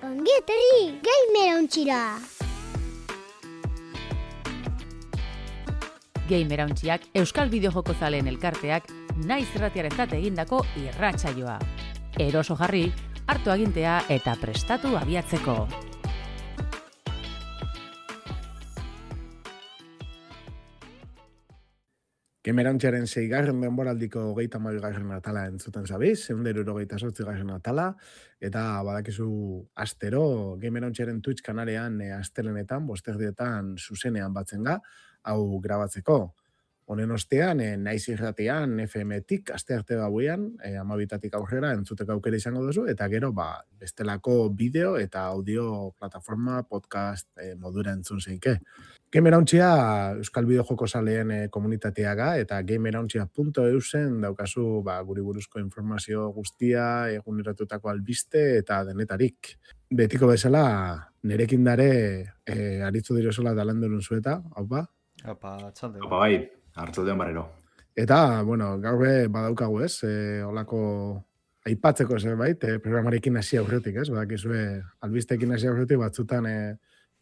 Ongi etorri, Gamerauntxira! Gamerauntxiak Euskal Bideojoko zaleen elkarteak naiz irratiarentzat egindako irratsaioa. Eroso jarri, hartu agintea eta prestatu abiatzeko. Gamerauntxaren 6. denboraldiko 32. atala entzuten zabiz, 168. atala, eta badakizu astero Gamerauntxaren Twitch kanalean astelenetan, bosterdietan zuzenean batzen ga, hau grabatzeko. Honen ostean, naiz irratian, FM-tik, astearte gauean, 12 aurrera entzuteko aukera izango duzu, eta gero, bestelako bideo eta audio plataforma podcast modura entzun zeike. Gamerauntxia Euskal Bideojoko zaleen komunitateaga eta gamerauntxia.eusen daukazu guri buruzko informazio guztia, eguneratutako albiste eta denetarik. Betiko bezala, nerekin dare aritzu direzola dalandurun zueta, hau ba? Apa, txalde. Apa, bai, hartzaldean barrero. Eta, gaur badaukagu ez, holako aipatzeko zerbait, programarekin hasi aurretik, ez? Badakizue albisteekin hasi aurretik batzutan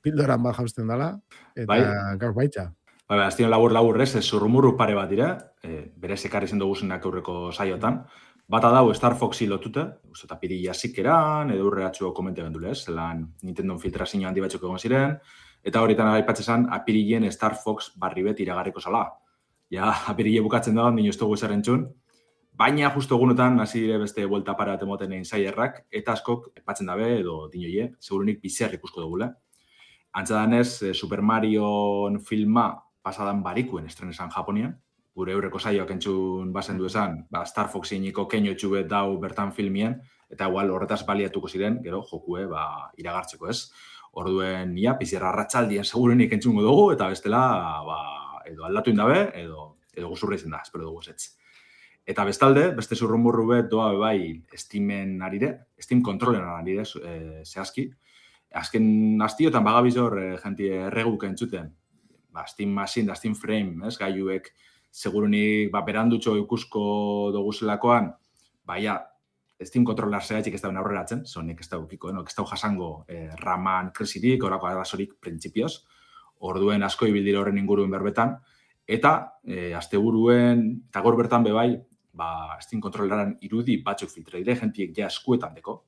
pildoran jausten dela, eta gaur baitza. Bai, aztien labur ez, zurrumurru pare bat dira, berez ekarri zen duguzenak aurreko saiotan. Bata dau Star Foxi lotute, eta pirilla zikeran, edo urreatxo komente gendule, ez? Zelan Nintendo filtrazio handi batzuk egon ziren, eta horietan aipatzezan apirilien Star Fox barri bet iragarriko zala. Ja, apirille bukatzen dagoen, dino ez dugu ezer entzun, baina justo egunotan hasi dire beste buelta para temoten insiderrak, eta askok aipatzen dabe, edo dinoie, segurunik bizer ikusko dugule. Antza danez, Super Mario filma pasadan barikuen estrenesan Japonian, gure eurreko saioak entzun bazen du esan, Star Foxiniko keino txubet dau bertan filmien, eta igual horretaz baliatuko ziren, gero, jokue, iragartzeko ez. Orduen, pizierra arratsaldien segurunik entzungo dugu, eta bestela, edo aldatu indabe, edo guzurra izan da, espero dugu ezetz. Eta bestalde, beste zurrumurru bet doa bai Steamen arire, Steam kontrolen arire, zehazki. Azken astiotan bagabizor jenti erreguk entzuten. Steam Machine da Steam Frame, ez, gaiuek segurunik berandutxo ikusko doguzelakoan, Steam kontrolar zehatxik ez dauen aurreratzen, zonik ez daukiko, ez dau jasango raman kresirik, orako arazorik printzipioz, orduen asko ibildira horren inguruen berbetan, eta asteburuen, eta gaur bertan bebai, Steam kontrolaran irudi batzuk filtre dire, jentiek ja eskuetan deko,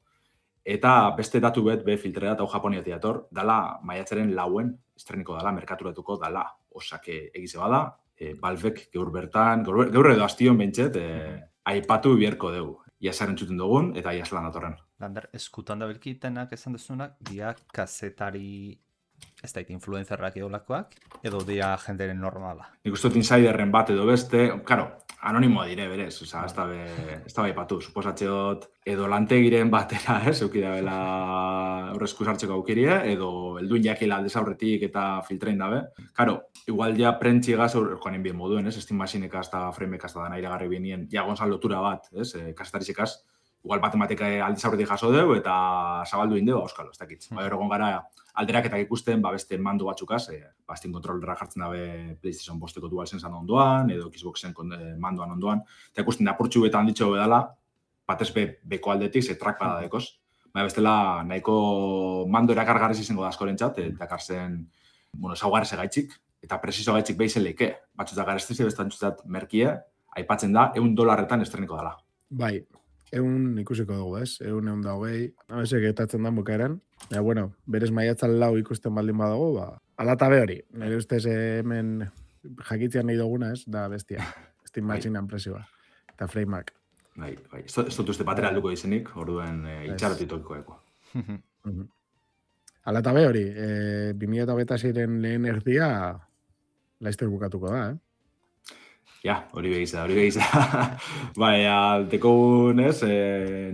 eta beste datu bet filtrera eta Japoniatik dator, dala maiatzaren 4 estreniko dala, merkaturatuko dala, osake egize bada, Valvek gaur bertan, gaur edo astion bentset, aipatu bierko dugu. Ia zaren txuten dugun, eta ia zelan datorren. Lander, eskutan da belkitenak esan dezunak, dia kazetari, ez da influenzerrak eolakoak, edo dia jenderen normala. Nik uste dut insiderren bat edo beste, karo, anonimoa dire berez, oza, ez da baipatu, suposatzeot, edo lantegiren batera, eukida bela horrezku sartzeko aukirie, edo elduin jakila aldez aurretik eta filtrein dabe. Karo, igual ja prentxigaz, joanen bien moduen, Steam Machinekaz eta Framekaz da dana iragarri bienien, ja gonzal lotura bat, kasetarizekaz, igual matematika aldez aurretik jaso deu, eta zabaldu indeo, auskalo, ez dakitz. Egon gara, alderaketak ikusten, beste mandu batzukaz, Steam kontrolera jartzen dabe PlayStation 5-eko DualSense ondoan, edo Xboxen mandoan ondoan, eta ikusten apurtxu betan ditxo bedala, batez beko aldetik, trackpada dekoz. Bestela, nahiko mando erakargarriz izango da askorentzat, eta karzen, zaugarrez egaitzik, eta presizo gaitzik behizen leike. Batzutak garestizi, bestantzutat merkie, aipatzen da, $1 estreniko dela. Bai, 100 ikusiko dugu, ez? 120, nabezek etatzen da bukaeran. Berez maiatzal lau ikusten baldin badago, alatabe hori. Nire ustez hemen jakitzean nahi duguna, ez? Da bestia. Steam Machinean presioa. Eta Frameak. Bai. Ez dut uste batera alduko izenik, orduen itxarotitokiko eko. Alatabe hori, 2026-ren lehen erdia laizter bukatuko da, Ja, hori begiza. Dekogun, ez,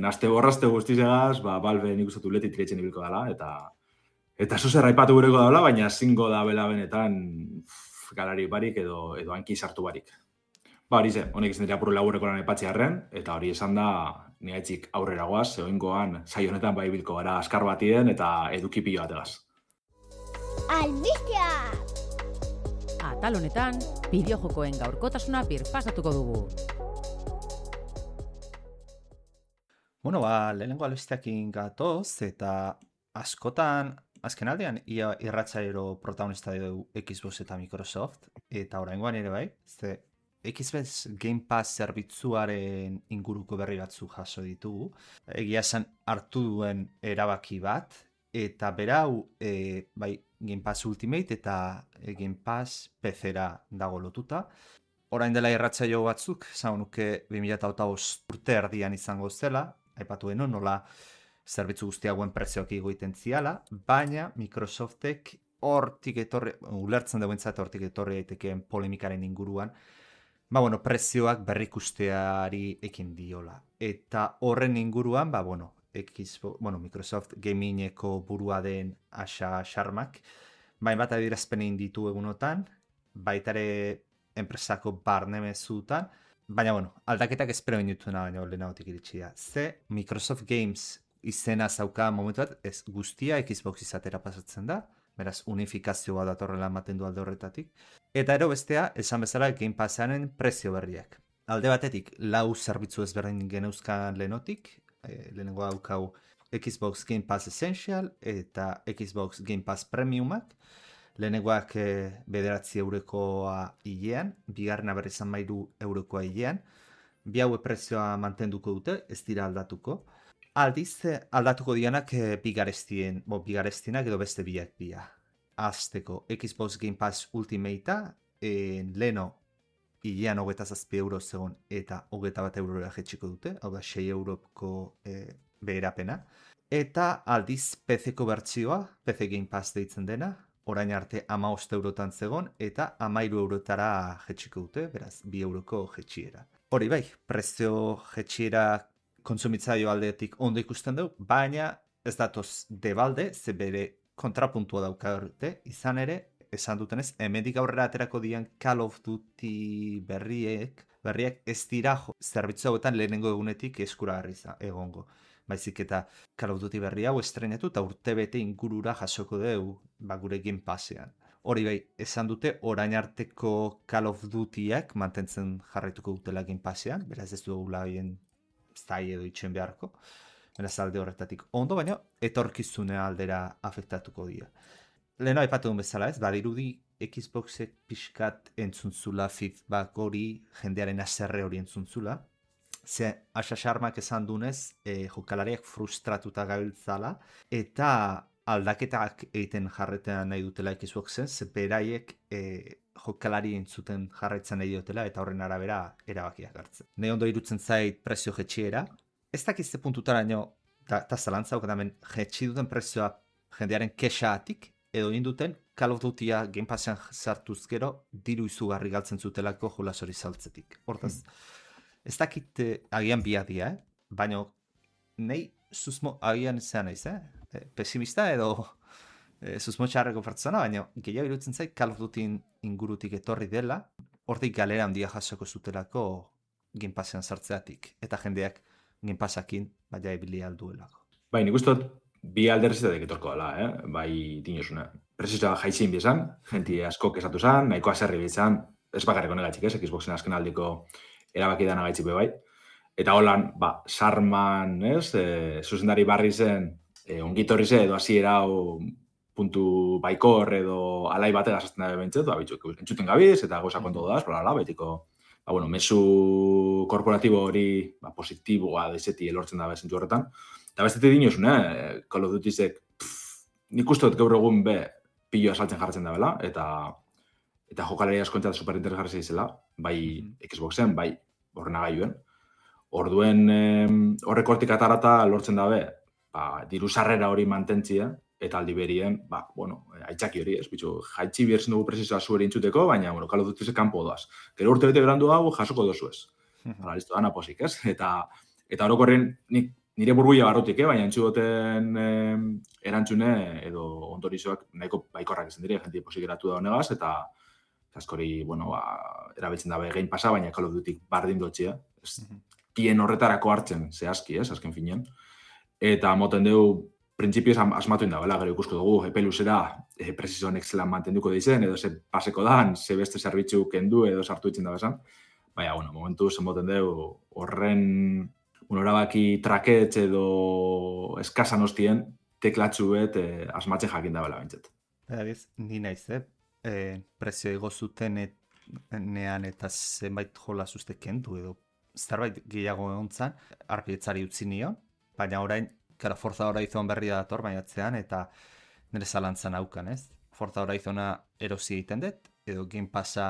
naste borrazte guztizegaz, Valve nik uste tuletit iretzen ibilko dela, eta zuzer aipatu gureko dela, baina zingo da bela benetan galari barik edo hanki sartu barik. Hori ze, honek izan dira puru laburreko lan aipatzearen, eta hori esan da, nigaitzik aurrera goaz, oingoan, saionetan bilko gara askar batien eta edukipillo bategaz. Albistea! Atal honetan, bideojokoen gaurkotasuna birpasatuko dugu. Lehenengo albisteakin gatoz, eta askotan, azken aldean, ia irratzairo protagonista dugu Xbox eta Microsoft, eta oraingoan ere bai, ze Xbox Game Pass zerbitzuaren inguruko berri batzu jaso ditugu. Egia esan hartu duen erabaki bat, eta berau bai Game Pass Ultimate eta Game Pass PC-ra dago lotuta. Orain dela irratzaio batzuk, esan nuke 2025 urte erdian izango zela, aipatu deno nola zerbitzu guztiagoen prezioak igoiten ziala, baina Microsoftek hortik etorri, ulertzen duentzat hortik etorri daitekeen polemikaren inguruan, prezioak berrikusteari ekin diola. Eta horren inguruan, Microsoft Gamingeko burua den Asha Sharmak, bat adierazpenein ditu egunotan, baitare enpresako barne mezutan, baina aldaketak espero inutuna baina lehenagotik iritsi da. Ze Microsoft Games izena zauka momentu bat, ez guztia Xbox izatera pasatzen da, beraz unifikazioa datorrela ematen du alde horretatik. Eta ero bestea, esan bezala Game Passaren prezio berriak. Alde batetik, 4 zerbitzu ezberdin geneuzkan lehenotik, lehenengo daukau Xbox Game Pass Essential eta Xbox Game Pass Premiumak, lehenengoak 9 eurokoa hilean, bigarrena berriz 13 eurokoa hilean, bi haue prezioa mantenduko dute, ez dira aldatuko. Aldiz, aldatuko dianak bigarestienak edo beste biak dira. Azteko, Xbox Game Pass Ultimate-a, leheno hilean 27 euro zegoen eta 21 eurora jetxiko dute, hau da 6 euroko beherapena. Eta aldiz PC-ko bertsioa, PC Game Pass deitzen dena, orain arte 15 eurotan zegoen eta 13 eurotara jetxiko dute, beraz 2 euroko jetxiera. Hori bai, prezio jetxiera kontsumitzaio aldetik ondo ikusten dugu, baina ez datoz debalde, ze bere kontrapuntua daukarte, izan ere, esan dutenez, hemendik aurrera aterako dian Call of Duty berriak ez dira zerbitzu hauetan lehenengo egunetik eskuragarri egongo. Baizik eta Call of Duty berri hau estrenatu eta urtebete ingurura jasoko dugu gure Game Passean. Hori bai, esan dute orain arteko Call of Dutyak mantentzen jarraituko dutela Game Passean, beraz ez dugula bien zai edo itxen beharko, beraz alde horretatik ondo, baina etorkizune aldera afektatuko dira. Leheno aipatu duen bezala ez, badirudi Xboxek pixkat entzuntzula feedback hori, jendearen aserre hori entzuntzula, ze Asha Sharmak esan dunez, jokalariak frustratuta gabiltzala, eta aldaketak egiten jarretean nahi dutela Xboxen, ze beraiek jokalari entzuten jarraitzen nahi dutela, eta horren arabera erabakiak hartzen. Ne ondo irutzen zait prezio jetxiera, ez dakizte puntutaraino, eta zalantza hemen jetxi duten prezioa jendearen kexaatik, edo induten Call of Dutya Game Passean sartuz gero, diru izugarri galtzen zutelako jolasori saltzetik. Hortaz, ez dakit agian biadia, baina nahi susmo agian zean naiz, pesimista edo susmo txarreko pertsona, baina gehiago irutzen zait Call of Duty ingurutik etorri dela, hortik galera handia jasoko zutelako Game Passean sartzeatik, eta jendeak Game Passakin baina ebili alduelako. Bai, nik uste bi alderrizatek etorko dela, bai dinosuna. Prezioa jaizin bizan, jenti asko kesatu zan, nahiko aserri bizan, ez bakarreko negatxik ez, Xboxen azken aldiko erabaki dana gaitxipe bai. Eta holan, Sarman, zuzendari barri zen, ongitorri ze edo hasiera puntu baikor edo alai batera zazten da bentzet, entzuten gabiz eta goza konto daz, betiko, mesu korporatibo hori positiboa dezeti elortzen da bezentzu horretan. Eta bestetik dinosun, Call of Dutyzek, nik uste dut gaur egun piloa saltzen jartzen da bela, eta jokalari askontzat superinteresgarri izela, bai Xboxen, bai ordenagailuen. Orduen horrek hortik atarata lortzen dabe, diru sarrera hori mantentzia, eta aldi berien, aitzaki hori, ez, bitxu, jaitsi bierzen dugu prezioa zueri intzuteko, baina, Call of Dutyzek kanpo doaz. Gero urte bete berandu hau jasoko dozu ez. Listo, dana posik, ez? Eta orokorren, nire burbuia barrutik, baina entzuten erantzune edo ondorizoak nahiko baikorrak izan dire, jenti posik eratu da honegaz, eta askori, erabiltzen dabe Game Passa, baina Call of Duty bardin dotxia. Bien horretarako hartzen, zehazki, ez, azken finean. Eta moten dugu, printzipioz asmatu indabela, gero ikusko dugu, epe luzera, prezizio honek zelan mantenduko dizen, edo ze paseko dan, ze beste zerbitzu kendu edo sartu itzen dabezan. Baina, momentu zen moten dugu, horren erabaki traketz edo eskasan hostien, teklatxu bet asmatzen jakin dabela bintzat. Adiz, ni naiz, prezio igo zuten nean eta zenbait jola zuzte kendu edo zerbait gehiago egontzan, arpietzari utzi nion, baina orain, kara, Forza Horizon berri dator baiatzean eta nire zalantzan haukan, ez? Forza Horizona erosi egiten dut, edo Game Passa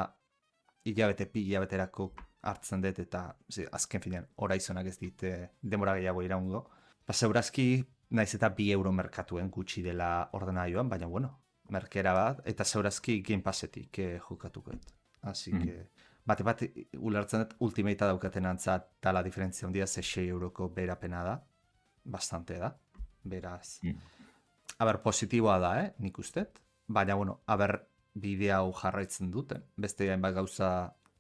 hilabeterako hartzen dut eta azken finean Horizonak ez dit denbora gehiago iraungo. Zeurazki naiz eta 2 euro merkatuen gutxi dela ordenaioan, baina bueno, merkera bat, eta zeurazki Game Passetik jokatuko dut. Así que, bat ulertzen dut Ultimate daukaten antzat tala diferentzia handia 6 euroko berapena da, bastante da, beraz. Aber, positiboa da, nik ustet, baina bueno, bidea hau jarraitzen duten, beste hainbat gauza,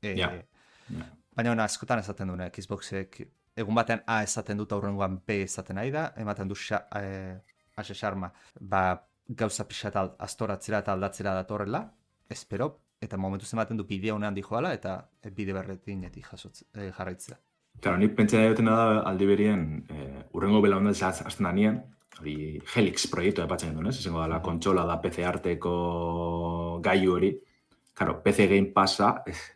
baina bueno, askotan esaten duen, Xboxek, egun batean A esaten dut aurrengoan B esaten nahi da, ematen du ase xarma, gauza pixat astoratzera eta aldatzera datorrela, espero, eta momentu ematen du bidea honean dijoala, eta bide berretinetik jarraitzea. Claro, nik pentsa dutena da aldi berien, urrengo belaundatz azten da nien, hori Helix proiektu epatzen duen, ez? Izango dela kontsola da PC arteko gaiu hori. Claro, PC Game Passa,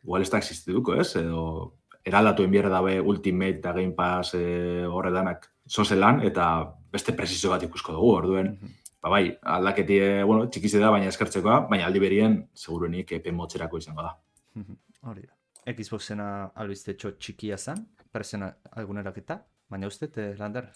igual ez da existituko, ez? Edo eraldatu enbierre dabe Ultimate eta Game Pass horredanak zozelan, eta beste prezizio bat ikusko dugu, orduen. Bai, aldaketi, bueno, txikize da, baina eskertzekoa, baina aldi berien, seguruenik epe motzerako izango da. Hori da. Xboxena albizte txikia zen, presena alguneraketa, baina uste, Lander,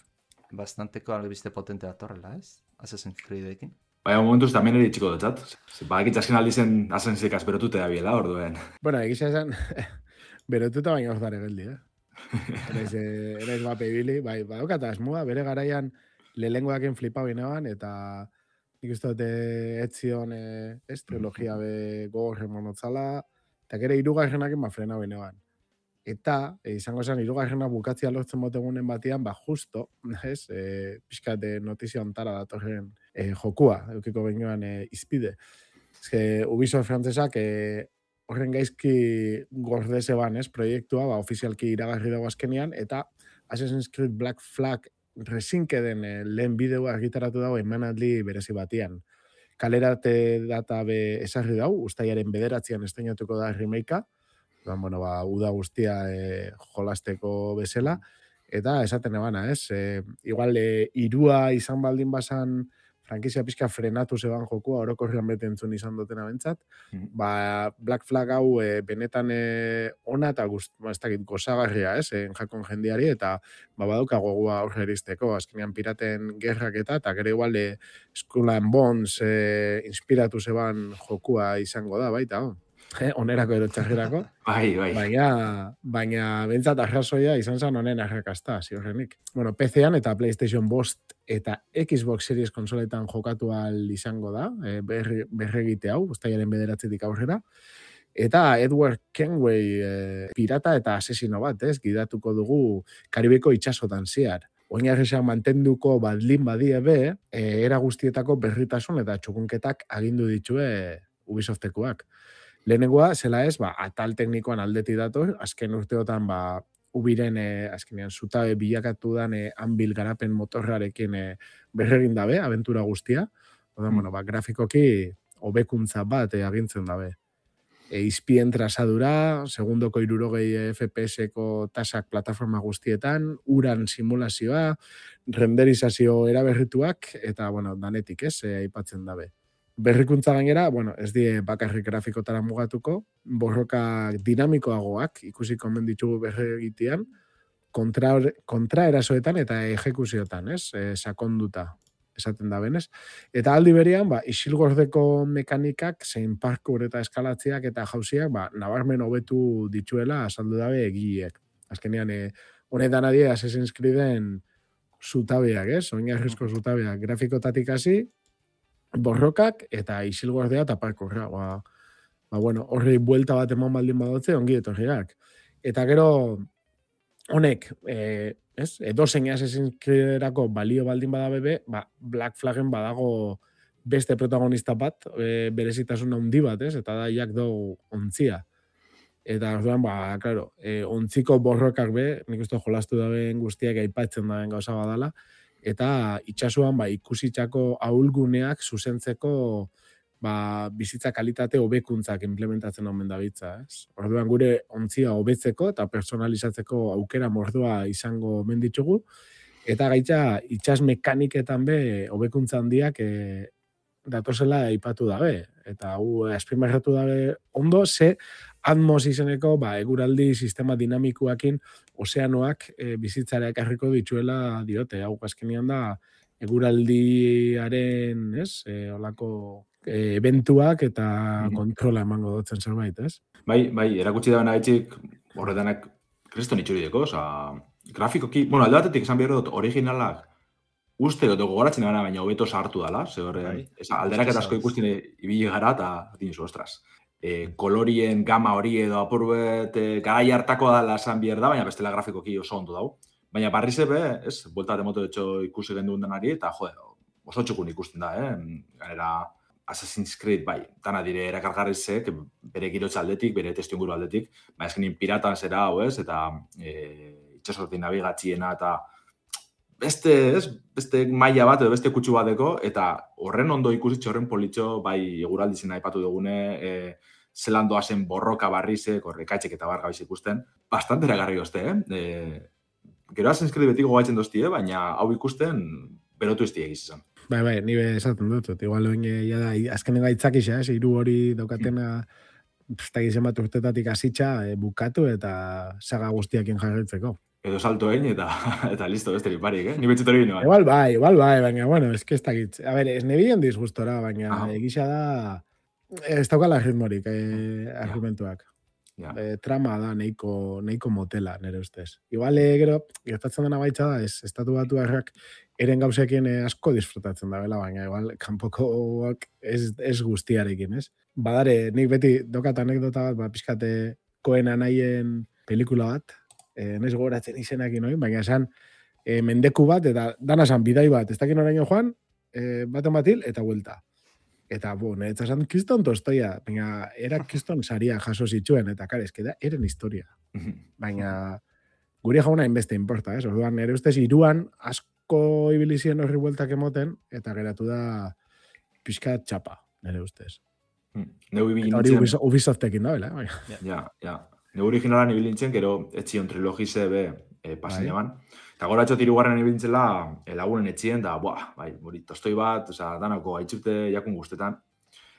bastanteko albizte potente datorrela, ez? Assassin's Creed-ekin. Baina momentuz tamen eri txiko dutzat. Badakit azken aldizen Assassin's berotute da biela, orduen. Bueno, egisa esan, berotuta baina ozdare geldi, Eraiz bape ibili, bai, badaukat asmua, bere garaian lehengoaken flipa binean, eta nik uste dute etzion trilogia be gogorren monotzala, eta gero 3. frena binean. Eta, izango zen, 3. bukatzia lortzen botegunen batian, justo, ez, pixkat notizia ontara datorren jokua, eukiko bengoan izpide. Ez que, Ubisoft frantzesak horren gaizki gordeze ban, ez, proiektua, ofizialki iragarri dago azkenean, eta Assassin's Creed Black Flag resinkeden lehen bideoa argitaratu dago emanaldi berezi batian. Kalerate data be esarri dau, ustaiaren 9 estrenatuko da remakea, bueno, uda guztia jolasteko bezala, eta esaten ebana, ez? Igual, 3 izan baldin bazan frankizia pixka frenatu zeban jokua, orokorrean bete entzun izan dutena bentsat, Black Flag hau benetan ona eta gozagarria, ez? Jakon jendiari, eta badauka gogua aurre eristeko, azkenean piraten gerrak eta gero igual Skull and Bones inspiratu zeban jokua izango da, baita, onerako edo txarrerako. Bai. Baina bentsat arrazoia izan zen honen arrakasta, ziorrenik. Bueno, PC-an eta PlayStation 5 eta Xbox Series konsoletan jokatu ahal izango da, berregite hau, ustailaren 9 aurrera. Eta Edward Kenway pirata eta asesino bat, ez, gidatuko dugu Karibeko itxasotan ziar. Oinarrizan mantenduko badlin badie be, era guztietako berritasun eta txukunketak agindu ditue Ubisoftekoak. Lehenengoa, zela ez, atal teknikoan aldeti dator, azken urteotan, Ubiren, azkenean, zutabe bilakatu dan Anvil garapen motorrarekin berregin dabe, abentura guztia. Bueno, grafikoki hobekuntza bat agintzen dabe. Izpien trazadura, segundoko 60 FPS-eko tasak plataforma guztietan, uran simulazioa, renderizazio eraberrituak, eta, bueno, danetik ez, aipatzen dabe. Berrikuntza gainera, bueno, ez die bakarrik grafikotara mugatuko, borroka dinamikoagoak ikusi komen ditugu berregitean, kontra erasoetan eta ejekuziotan, ez? Sakonduta, esaten da benez. Eta aldi berean, isilgordeko mekanikak, zein parkour eta eskalatziak eta jauziak, nabarmen hobetu dituela azaldu dabe egileek. Azkenean, honetan adie Assassin's Creeden zutabeak, ez? Oinarrizko zutabeak, grafikotatik hasi, borrokak eta isilgordea eta parkourra. Bueno, horri buelta bat eman baldin badotze, ongi etorriak. Eta gero, honek, edozein Assassin's Creederako balio baldin badabebe, Black Flaggen badago beste protagonista bat, berezitasun handi bat, ez? Eta da jak dugu ontzia. Eta orduan, ontziko borrokak be, nik uste jolastu dabeen guztiak aipatzen daben gauza badala, eta itsasoan ikusitako ahulguneak zuzentzeko bizitza kalitate hobekuntzak implementatzen omen dabiltza, ez? Orduan gure ontzia hobetzeko eta personalizatzeko aukera mordoa izango omen ditugu, eta gaitza itsas mekaniketan be hobekuntza handiak datozela aipatu dabe, eta hau azpimarratu dabe ondo, ze Atmos izeneko eguraldi sistema dinamikoakin ozeanoak bizitzara ekarriko dituela diote. Hau azkenean da eguraldiaren, olako eventuak eta kontrola emango dutzen zerbait, ez? Bai, erakutsi da benagaitxik horretanak kriston itxurideko, grafikoki, alde batetik esan behar dut originalak uste dut gogoratzen gara, baina hobeto sartu dela, ze horre, alderak asko ikusten ibili gara eta dinizu, ostras. Kolorien gama hori edo apurbet garai hartako dela esan behar da, baina bestela grafikoki oso ondo dau. Baina barriz ebe, buelta de moto etxo ikusi genduen denari, eta oso txukun ikusten da, Ganera, Assassin's Creed, dana dire erakargarrizek, bere girotza aldetik, bere testu inguru aldetik, eskenin piratan zera hau, eta itxasotik nabigatziena, eta beste maila bat edo beste kutsu bateko, eta horren ondo ikusitxe horren politxo, eguraldizena aipatu dugune, zelan doazen borroka barrizek, horrekaitxek eta bargabiz ikusten, bastante eragarri gozte, Gero Assassin's Creed beti gogaitzen doztie, baina hau ikusten berotu izti egiz izan. Bai, nire esaten dut, igual azkenen gaitzakisa, hiru hori daukatena izan bat urtetatik hasitza bukatu eta saga guztiakin jarritzeko. Edo salto egin eta listo, besterik parik, Ni betxet hori bine, bai. Igual bai, baina, bueno, ez que ez dakit. A ber, ez nebilen disgustora, baina egisa da, ez daukala ritmorik argumentuak. Trama da neiko motela, nire ustez. Igual, gero, gertatzen dena baitza da, estatu batu harrak eren gauzekin asko disfrutatzen da, baina igual, kanpokoak ez guztiarekin, ez? Badare, nik beti dokat anekdota bat, pixkate Koen anaien pelikula bat, naiz gogoratzen izenak inoin, baina esan mendeku bat, eta dana esan bidai bat, ez dakin oraino joan, baten batil, eta buelta. Eta, niretzat esan, kiston tostoia, baina era kiston saria jaso zituen, eta kare, eskeda, eren historia. Baina, gure jauna inbeste importa, ez? Orduan, nire ustez, iruan asko ibilizien horri bueltak emoten, eta geratu da pixka txapa, nire ustez. Eta hori Ubisoftekin da, bela? Ja. Neu originalan ibilintzen, gero etxion trilogize pasin eman. Eta gora etxot irugarren ibilintzela lagunen etxien, da, tostoi bat, danako aitzute jakun guztetan.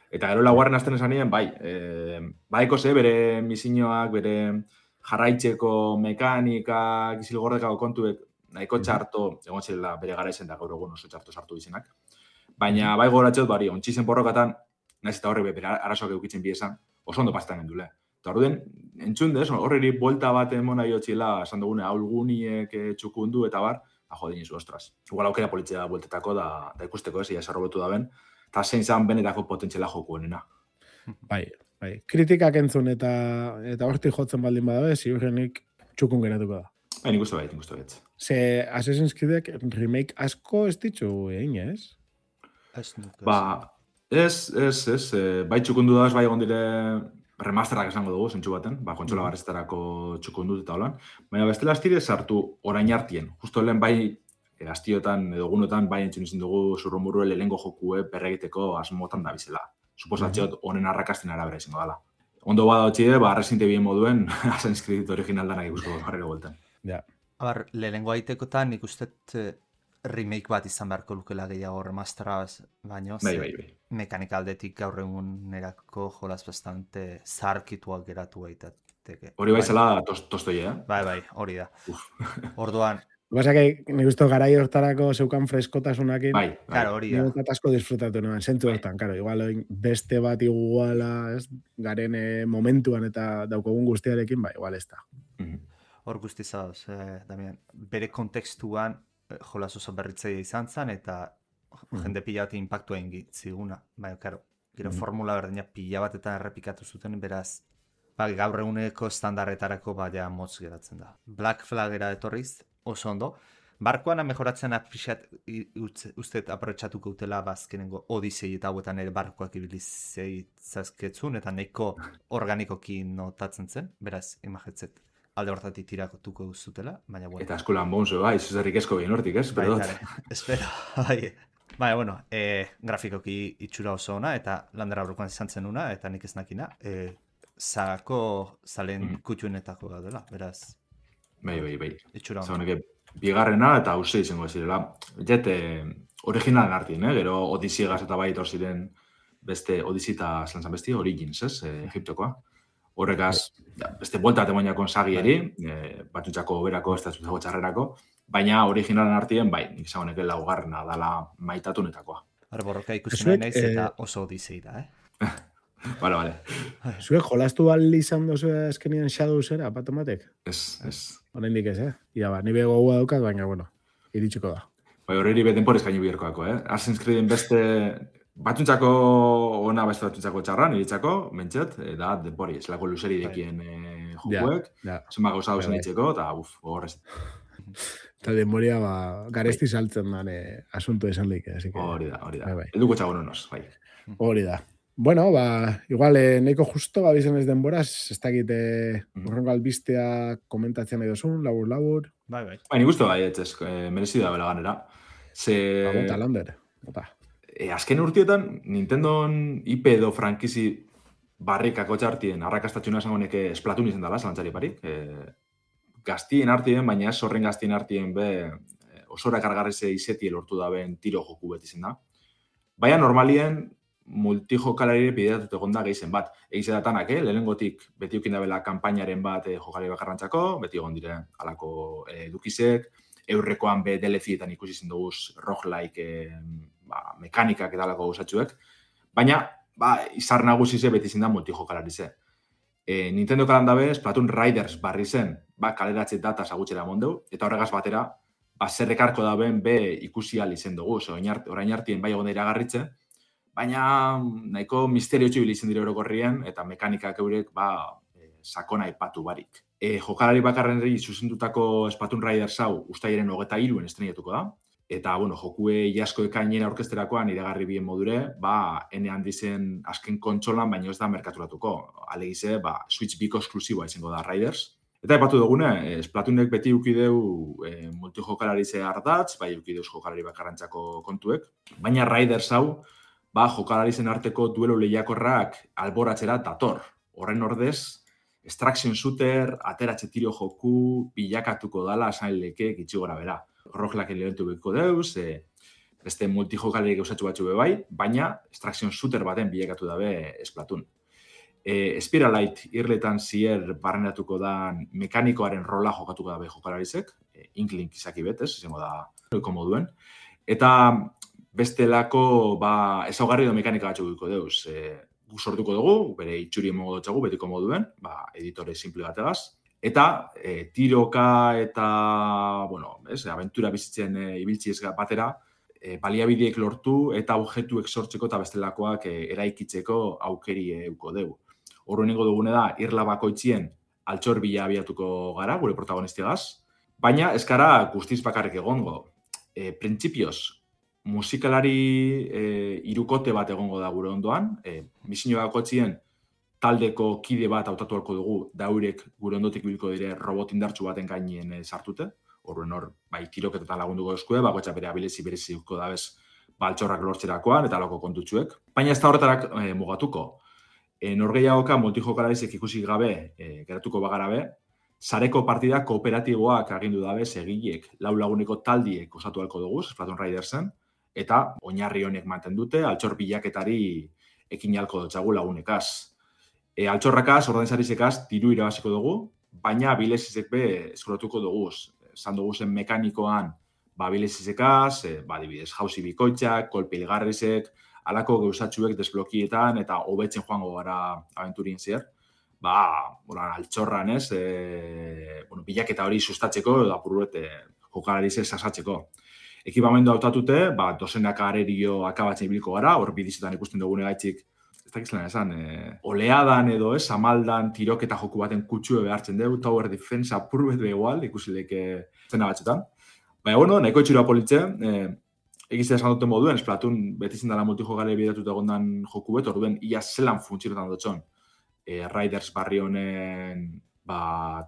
Eta gero laugarren azten esanien, baiko bere misioak, bere jarraitzeko mekanikak, izilgordekako kontuek, nahiko txarto, egon zirela bere gara izen da gaur egun oso txarto sartu izenak. Baina bai gora etxot, ontxizen borrokatan, nahiz eta horrek bere arazoak eukitzen biesan, oso ondo pastan gendule. Eta orduen, entzun dez, horreri buelta bat emona jotxila, esan dugune, aulguniek txukundu eta bar, dinizu, ostras. Igual aukera politzea da bueltetako da ikusteko ia esarrobetu da ben, eta zein zan benetako potentziala jokuenena. Bai. Kritikak entzun eta hortik jotzen baldin badabe, ziurrenik txukun geratuko da. Nik uste bait. Ze Assassin's Creedek remake asko ez ditzu egin, ez? Ez. Bai txukundu da, bai egon dire remasterak esango dugu, zentsu baten, kontsola barreztarako txukundut eta holan. Baina bestela astire sartu orain hartien. Justo lehen astiotan edo gunotan entzun izin dugu zurrumurue lehengo jokue berregiteko asmotan da bizela. Suposatxeot honen arrakasten arabera izango dela. Ondo bada hotxide, Resident Evil moduen Assassin's Creed original danak ikusko jarriko bueltan. Ja. Lehengo aitekotan nik ustet remake bat izan beharko lukela gehiago remasteraz, baino mekanika aldetik gaur egun erako jolaz bastante zarkituak geratu gaitateke. Hori baizela tostoia, Bai, hori da. Orduan, Basake, nik uste garai hortarako zeukan freskotasunakin. Bai. Claro, hori da. Nik asko disfrutatu nuen, zentzu hortan, claro, igual beste bat iguala, garen momentuan eta daukogun guztiarekin, igual ez da. Hor guzti zauz, Damian, bere kontekstuan jolas oso berritzaia izan zen, eta jende pila bat impactua egin ziguna. Baina, karo, gero formula berdina pila batetan errepikatu zuten, beraz, gaur eguneko standarretarako ja motz geratzen da. Black Flagera etorriz, oso ondo. Barkoan mejoratzen apixat usteet aprotxatuko utela bazkenengo Odisei eta hauetan ere barkoak ibilizei zazketzun, eta nahiko organikoki notatzen zen, beraz, imagetzet alde hortatik tiratuko zutela, baina bueno. Eta Skull and Bones, bai, zuzerrik esko behin hortik, ez? Bai, espero, bai. Baina, bueno, grafikoki itxura oso ona, eta Lander Aurrekoan izan zen una, eta nik ez nakina, zako zalen kutxuenetako gaudela, beraz. Bai. Itxura ona. Zagoneke, bigarrena eta uste izango zirela. Jet, originalen artien, gero Odisiegaz eta bai etor ziren beste Odisi eta zelan besti, Origins, ez? Egiptokoa. Horrekaz, beste buelta temoinakon sagieri, batutxako berako, ez da zutako txarrerako, baina originalen artien, bai, nik zagoneke laugarrena dala maitatunetakoa. Borroka ikusi nahi naiz eta oso Odisei da, Vale. Zuek jolastu bali izan dozu azkenien Shadowsera, patomatek? Ez. Horendik ez, Ia ba, nire gogoa daukat, baina, bueno, iritsiko da. Bai, horreri betenporez gainu biherkoako, Assassin's Creeden beste batuntzako ona, beste batuntzako txarran, iritzako, mentxet, da, denpori, ez lako luzeri dekien jokuek, zenba gauza dauzen itxeko, eta gogorrez. Eta denboria, garesti saltzen dan asunto esaldik, Hori da. Eduko txago nonoz, bai. Hori da. Bueno, igual, nahiko justo, bizen ez denboraz, ez dakit urrengo albistea komentatzen nahi dozun, labur. Bai. Nik uste bai, etxez, merezi da bela ganera. Bota, Lander. Azken urtietan, Nintendon IP edo frankizi barrikako txartien, arrakastatxuna esangonek Splatoon izan dela, zalantzari parik. Gaztien artien, baina ez horren gaztien artien osora kargarrize izeti lortu da ben tiro joku beti zen da. Baina normalien, multijokalari bideratut egon da gehizen bat. Egize datanak, lehenengotik beti ukin da bela kampainaren bat jokalari bakarrantzako, beti egon dire alako edukizek, eurrekoan DLC-etan ikusi zen duguz roguelike mekanikak eta alako gauzatxuek, baina izar nagusize beti zen da multijokalari ze. Nintendo kalandabe, Splatoon Riders barri zen, kaleratze data zagutxera mondeu, eta horregaz batera, zerrekarko da ben ikusi izen dugu, orain hartien bai egon da iragarritze, baina nahiko misterio txibili izan dire orokorrien, eta mekanikak eurek sakona ipatu barik. Jokalari bakarrenri zuzendutako Splatoon Riders hau ustailaren 23 estrenatuko da, eta jokue jasko ekainera orkesterakoan iragarri bien modure, ene handizen azken kontsolan, baina ez da merkaturatuko. Alegize, Switch Biko esklusiboa izango da Riders. Eta epatu dugune, Splatoonek beti ukideu multijokalari ze ardatz, ukideuz jokalari bakarrantzako kontuek, baina Riders hau, jokalari zen arteko duelo lehiakorrak alboratzera dator. Horren ordez, extraction shooter, ateratxe tiro joku, bilakatuko dala, esan leke, gitxi gora bera. Roguelike elementu beko deuz, beste multijokalari gauzatxu batxu bai, baina extraction shooter baten bilakatu dabe Splatoon. Spiralite irletan zier barrenatuko da mekanikoaren rola jokatuko dabe jokalarizek, Inklink izaki betez, izango da moduen. Eta bestelako ezaugarri edo mekanika batxu guiko deuz. Sortuko dugu, bere itxuri emongo dutxagu, betiko moduen, editore simple bategaz. Eta tiroka eta, aventura bizitzen ibiltziez batera, baliabideek lortu eta objektuek sortzeko eta bestelakoak eraikitzeko aukeri euko dugu. Horrenengo dugune da, irla bakoitzien altxor bila abiatuko gara, gure protagonistigaz, baina ez gara guztiz bakarrik egongo. Printzipioz, musikalari irukote bat egongo da gure ondoan, misio bakoitzien taldeko kide bat hautatu halko dugu, daurek gure ondotik biliko dire robot indartsu baten gainien sartute, horren tiroketetan lagunduko eskue, bakoitza bere abilezi bereziko dabez altxorrak lortzerakoan eta loko kontutxuek. Baina ez da horretarak mugatuko. Norgehiagoka multijokalarizek ikusi gabe, geratuko bagarabe, sareko partida kooperatiboak agindu dabe segilek, lau laguneko taldiek osatu halko dugu, Splatoon Ridersen, eta oinarri honek manten dute, altxor bilaketari ekin halko dutxagu lagunekaz. Altxorrakaz, ordainsarizekaz, diru irabaziko dugu, baina bilezizek eskuratuko dugu. Zan dugu zen mekanikoan bilezizekaz, dibidez, jauzi bikoitzak, kolpe hilgarrizek, alako gauzatxuek desblokietan eta hobetzen joango gara aventurien zier. Altxorran ez, bilaketa hori sustatzeko edo apurruete jokalarize sasatzeko. Ekipamendu hautatute, dozenak arerio akabatzen ibiliko gara, hor bidizetan ikusten dugune gaitzik, ez dakizlan esan, oleadan edo ez, amaldan tiroketa joku baten kutsue behartzen dugu, tower defense apurruet behual, ikusileke zena batxetan. Nahiko itxura politxe, egizia esan duten moduen, Splatoon beti zindala multijokale bidatuta egondan joku bet, orduen ia zelan funtzionetan dutxon. Riders barri honen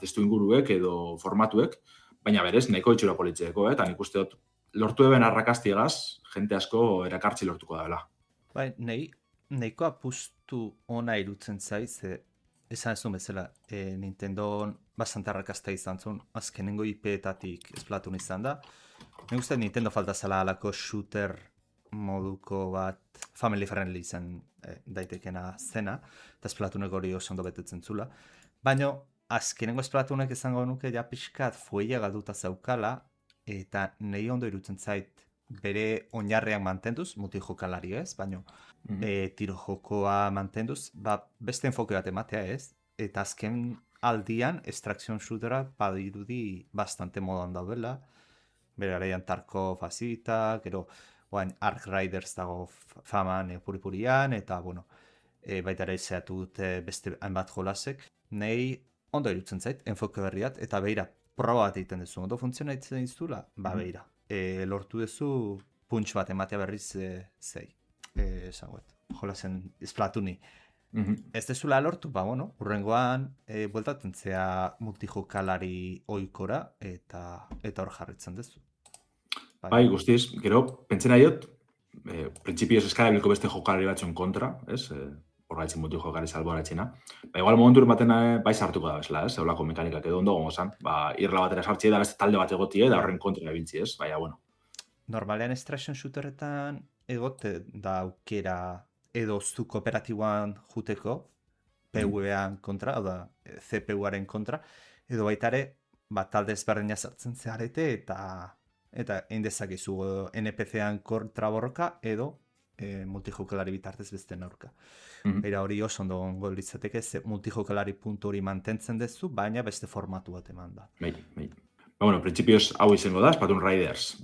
testu inguruek edo formatuek, baina berez, nahiko itxura politxeko, eta nik uste dut, lortu eben arrakastiegaz, jente asko erakartzi lortuko da dela. Bai, nahiko apustu ona irutzen zaiz, esan ez du bezala, Nintendo bastante arrakasta izan zuen, azkenengo IP-etatik Splatoon izan da. Nik uste Nintendo falta zela alako shooter moduko bat family friendly izan daitekena zena, eta Splatoonek hori oso ondo betetzen zula. Baina azkenengo Splatoonek izango nuke ja pixkat fueia galduta zaukala, eta nahi ondo irutzen zait bere oinarrean mantenduz, multijokalari ez, baina tiro jokoa mantenduz, beste enfoke bat ematea ez, eta azken aldian extraction shootera badirudi bastante modan daudela, bere garaian Tarkov azita, gero Ark Riders dago faman puripurian, eta baita ere zeatu dute beste hainbat jolasek, nahi ondo irutzen zait, enfoke berriat, eta beira, proba bat egiten duzu, ondo funtzionaitzen dizula, beira. Lortu duzu punch bat ematea berriz zei. Jolasen Splatooni. Ez dezula lortu, urrengoan bueltatzen zea multijokalari oikora eta hor jarritzen duzu. Bai, guztiz, gero, pentsena diot, printzipioz eskarabiliko beste jokalari batzuen kontra, ez? Horretzen multijokalari salboratzena. Igual momentu baten bai sartuko da bezala, ez? Eulako mekanikak edo ondo gongo zan. Irla batera sartzi da, beste talde bat egotie, da horren kontra ebiltzi, ez? Baina, Normalean extraction shooteretan egote da aukera edo zu kooperatiboan juteko, PvEan kontra, oda CPU-aren kontra, edo baitare, talde ezberdina sartzen zeharete eta eindezakizu NPC-an kontra borroka edo multijokalari bitartez beste aurka. Era hori oso ondo gongo litzateke, multijokalari puntu hori mantentzen dezu, baina beste formatu bat eman da. Bai. Printzipioz hau izango da, Splatoon Riders,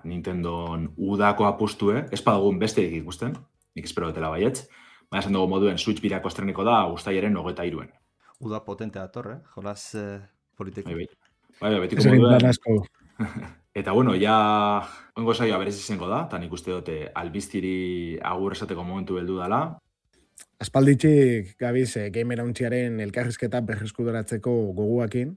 Nintendon udako apustue, ez badugun besteik ikusten, nik espero dutela baietz, baina esan dugu moduen Switch birako estreniko da Uztailaren 23. Uda potente dator, jolas politeki. Bai, betiko moduen. Eta ja, oingo saioa berez izango da, eta nik uste dute albiztiri agur esateko momentu heldu dela. Aspalditxik gabiz Gamer Hauntziaren elkarrizketa berreskuderatzeko goguakin,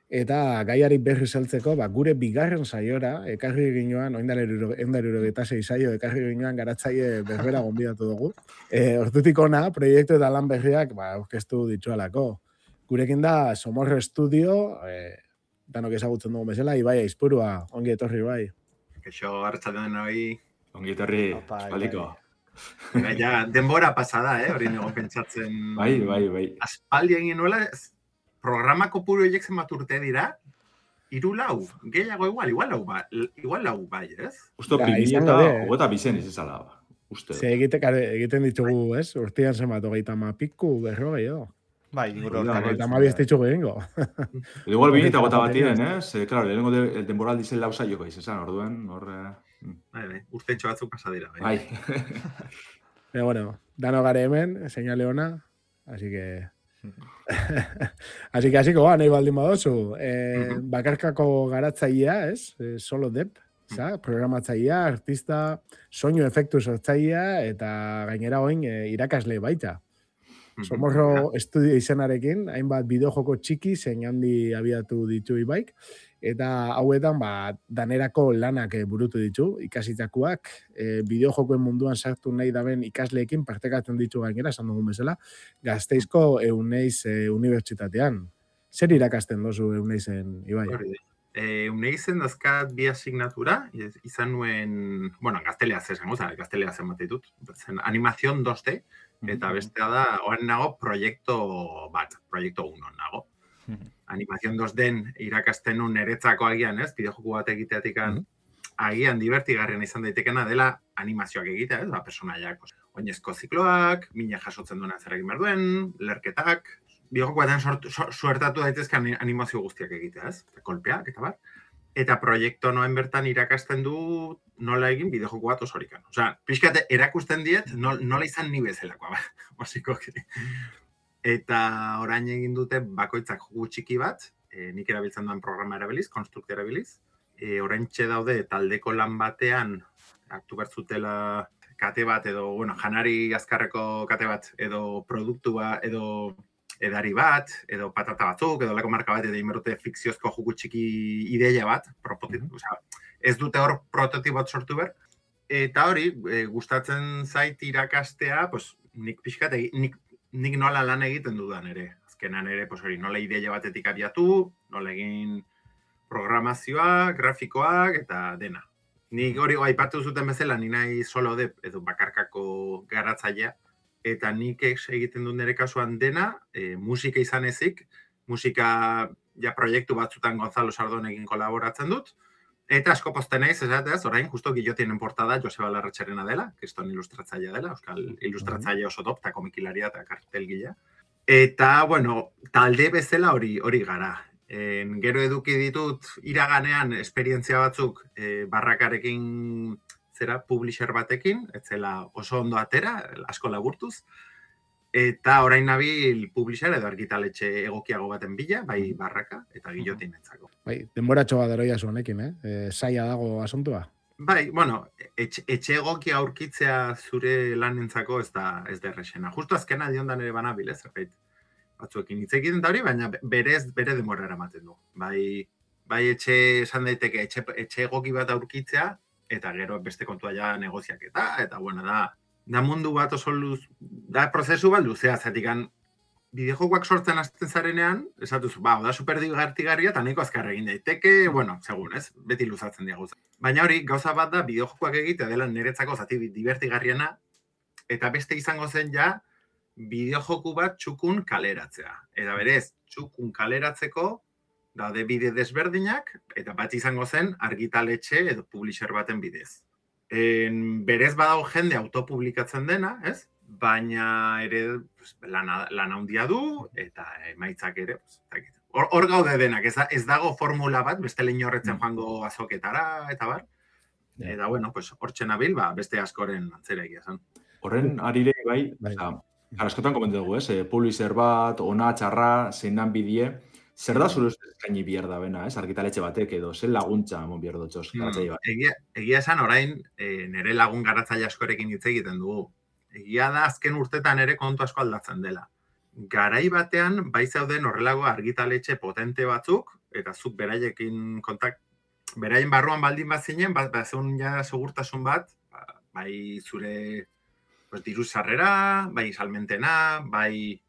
eta gaiari berri saltzeko, gure bigarren saiora, ekarri ginoan, oindalero eta 6 saio, ekarri ginoan garatzaile berbera gonbidatu dugu. Hortutik ona, proiektu eta lan berriak aurkeztu ditualako. Gurekin da Somorro Studio, danok ezagutzen dugu bezala, Ibai Aizpurua, ongi etorri bai. Keixo, hartzaten hori. Ongi etorri, espaldiko. Ja, denbora pasada, hori nego pentsatzen. Bai. Aspaldi egin nuela, programa kopuru horiek zenbat urte dira, 3-4, gehiago igual lau bai, ez? Usto, 2022 izizala. Egiten ditugu, ez? Urtean zenbat, 30 piku, berro gehiago. Bai, gero. Eta mabi ez ditugu egingo. Igual 2008 batien, ez? Claro, lehenengo denboral dizen lausa joko izan, orduen, urtentxo batzuk pasadira. Bai. Pero bueno, dano gare hemen, señale ona, así que... Así que, nahi baldin badozu. Bakarkako garatzailea, ez? Solo Dep, programatzailea, artista, soinu efektu sortzailea, eta gainera oin irakasle baita. Somorro Studio izenarekin, hainbat bideojoko txiki zein handi abiatu ditu Ibaik, eta hauetan danerako lanak burutu ditu, ikasitakoak, bideojokoen munduan sartu nahi daben ikasleekin partekatzen ditu gainera, esan dugun bezala, Gasteizko Euneiz unibertsitatean. Zer irakasten dozu Euneizen, Ibai? Euneizen dazkat bi asignatura, izan nuen, gazteleaz esango, gazteleaz zen bat ditut, animazion 2D, eta bestea da, oan nago proiektu 1 nago. Animazion 2D irakasten nun eretzako agian, ez? Bideojoku bat egiteatik agian divertigarrian izan daitekena dela animazioak egitea, ez? Personaiak, oinezko zikloak, mina jasotzen duena zer egin behar duen, lerketak, bideojoku batean suertatu daitezke animazio guztiak egitea, ez? Kolpeak, eta bar. Eta proiektu noen bertan irakasten du nola egin bideojoku bat osorikan. Osea, pixkate erakusten diet nola izan ni bezalakoa, basikoki. Eta orain egin dute bakoitzak joku txiki bat, nik erabiltzen duen programa erabiliz, Construct erabiliz. Orain daude taldeko lan batean, aktu bertzutela kate bat, edo, janari azkarreko kate bat, edo produktua, edo edari bat, edo patata batzuk, edo lako marka bat, edo inberute fikziozko joku txiki ideia bat, ez dute hor prototipot sortu ber, eta hori, gustatzen zait irakastea, pues, nik pixkat, nik nola lan egiten dudan ere. Azkenan ere, pues, hori, nola ideia batetik abiatu, nola egin programazioa, grafikoak, eta dena. Nik hori aipatu zuten bezala, ni nahi solo de, edo bakarkako garatzailea, eta nik egiten dut nire kasuan dena, musika izan ezik, musika ja proiektu batzutan Gonzalo Sardonekin kolaboratzen dut, eta asko posten naiz, esateaz, orain, justo Guillotinen portada Joseba Larratxarena dela, kriston ilustratzailea dela, euskal ilustratzaile oso top, eta komikilaria eta kartelgilea. Eta, bueno, talde bezala hori gara. Gero eduki ditut iraganean esperientzia batzuk barrakarekin publisher batekin, etzela oso ondo atera, asko laburtuz, eta orain nabil publisher edo argitaletxe egokiago baten bila, bai barraka eta Guillotin entzako. Bai, denboratxo bat eroia zuenekin, zaila dago asuntua? Bai, bueno, etxe egokia aurkitzea zure lanentzako ez da errexena. Justo azkena diondan ere banabil, ez? Batzuekin hitz egiten da hori, baina bere denbora eramaten du. Bai etxe esan daiteke etxe egoki bat aurkitzea, eta gero beste kontua ja negoziaketa, eta bueno, da mundu bat oso da prozesu bat luzea, zatikan bideojokoak sortzen hasten zarenean, esatuzu, da superdigartigarria, eta nahiko azkar egin daiteke, bueno, segun, ez? Beti luzatzen dira gauza. Baina hori, gauza bat da, bideojokoak egitea dela niretzako zati divertigarriena, eta beste izango zen ja, bideojoku bat txukun kaleratzea. Eta berez, txukun kaleratzeko, daude bide desberdinak, eta bat izango zen argitaletxe edo publisher baten bidez. Berez badago jende autopublikatzen dena, ez? Baina ere lan handia du, eta emaitzak ere, hor gaude denak, ez dago formula bat, beste lehin horretzen joango azoketara, eta bar. Eta, bueno, hortxe nabil, beste askoren antzera egia zen. Horren, arire, bai, askotan komentu dugu, ez? Publisher bat, ona, txarra, zeinan bidie, zer da zure ustez eskaini behar da bena, ez? Argitaletxe batek edo, zer laguntza mon behar dutxoz garatzaile bat? Egia esan orain, nire lagun garatzaile askorekin hitz egiten dugu. Egia da azken urtetan ere kontu asko aldatzen dela. Garai batean, bai zauden horrelago argitaletxe potente batzuk, eta zuk beraiekin beraien barruan baldin bat zinen, zeun ja segurtasun bat, bai zure diru sarrera, bai salmentena, bai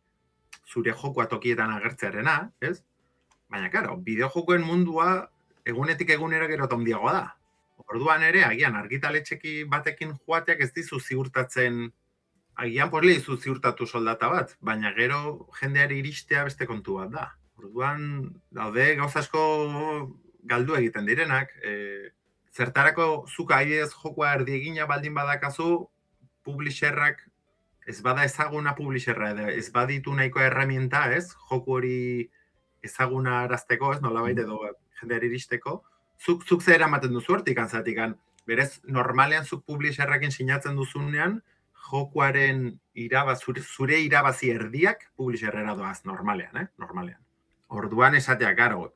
zure jokoa tokietan agertzearena, ez? Baina, karo, bideojokoen mundua egunetik egunera gero tondiagoa da. Orduan ere, agian argitaletxeki batekin joateak ez dizu ziurtatzen, agian posle dizu ziurtatu soldata bat, baina gero jendeari iristea beste kontu bat da. Orduan, daude gauza asko galdu egiten direnak, zertarako zuka aidez jokoa erdiegina baldin badakazu, publisherrak ez bada ezaguna publisherra, ez baditu nahiko herramienta, ez? Joku hori ezaguna arazteko, ez? Nolabait edo jendeari iristeko. Zuk zer eramaten duzu hortik, antzatikan. Berez, normalean zuk publisherrakin sinatzen duzunean, jokuaren zure irabazi erdiak publisherrera doaz, normalean, Normalean. Orduan esatea, karo,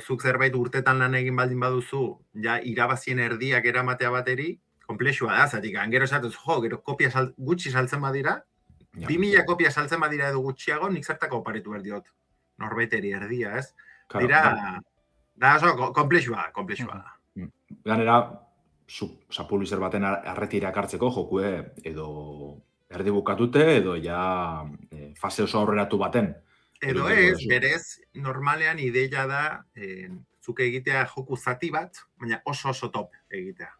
zuk zerbait urtetan lan egin baldin baduzu, ja irabazien erdiak eramatea bateri, komplexua da, zatik, gero esatuz, gero kopia gutxi saltzen badira, 2000 kopia saltzen badira edo gutxiago, nik zertako oparitu behar diot, norbaiteri erdia, ez? Dira, da oso, komplexua da. Ganera, publisher baten arretirak hartzeko jokue edo erdi bukatute, edo ja fase oso aurreratu baten. Edo ez, berez, normalean ideia da, zuke egitea joku zati bat, baina oso top egitea.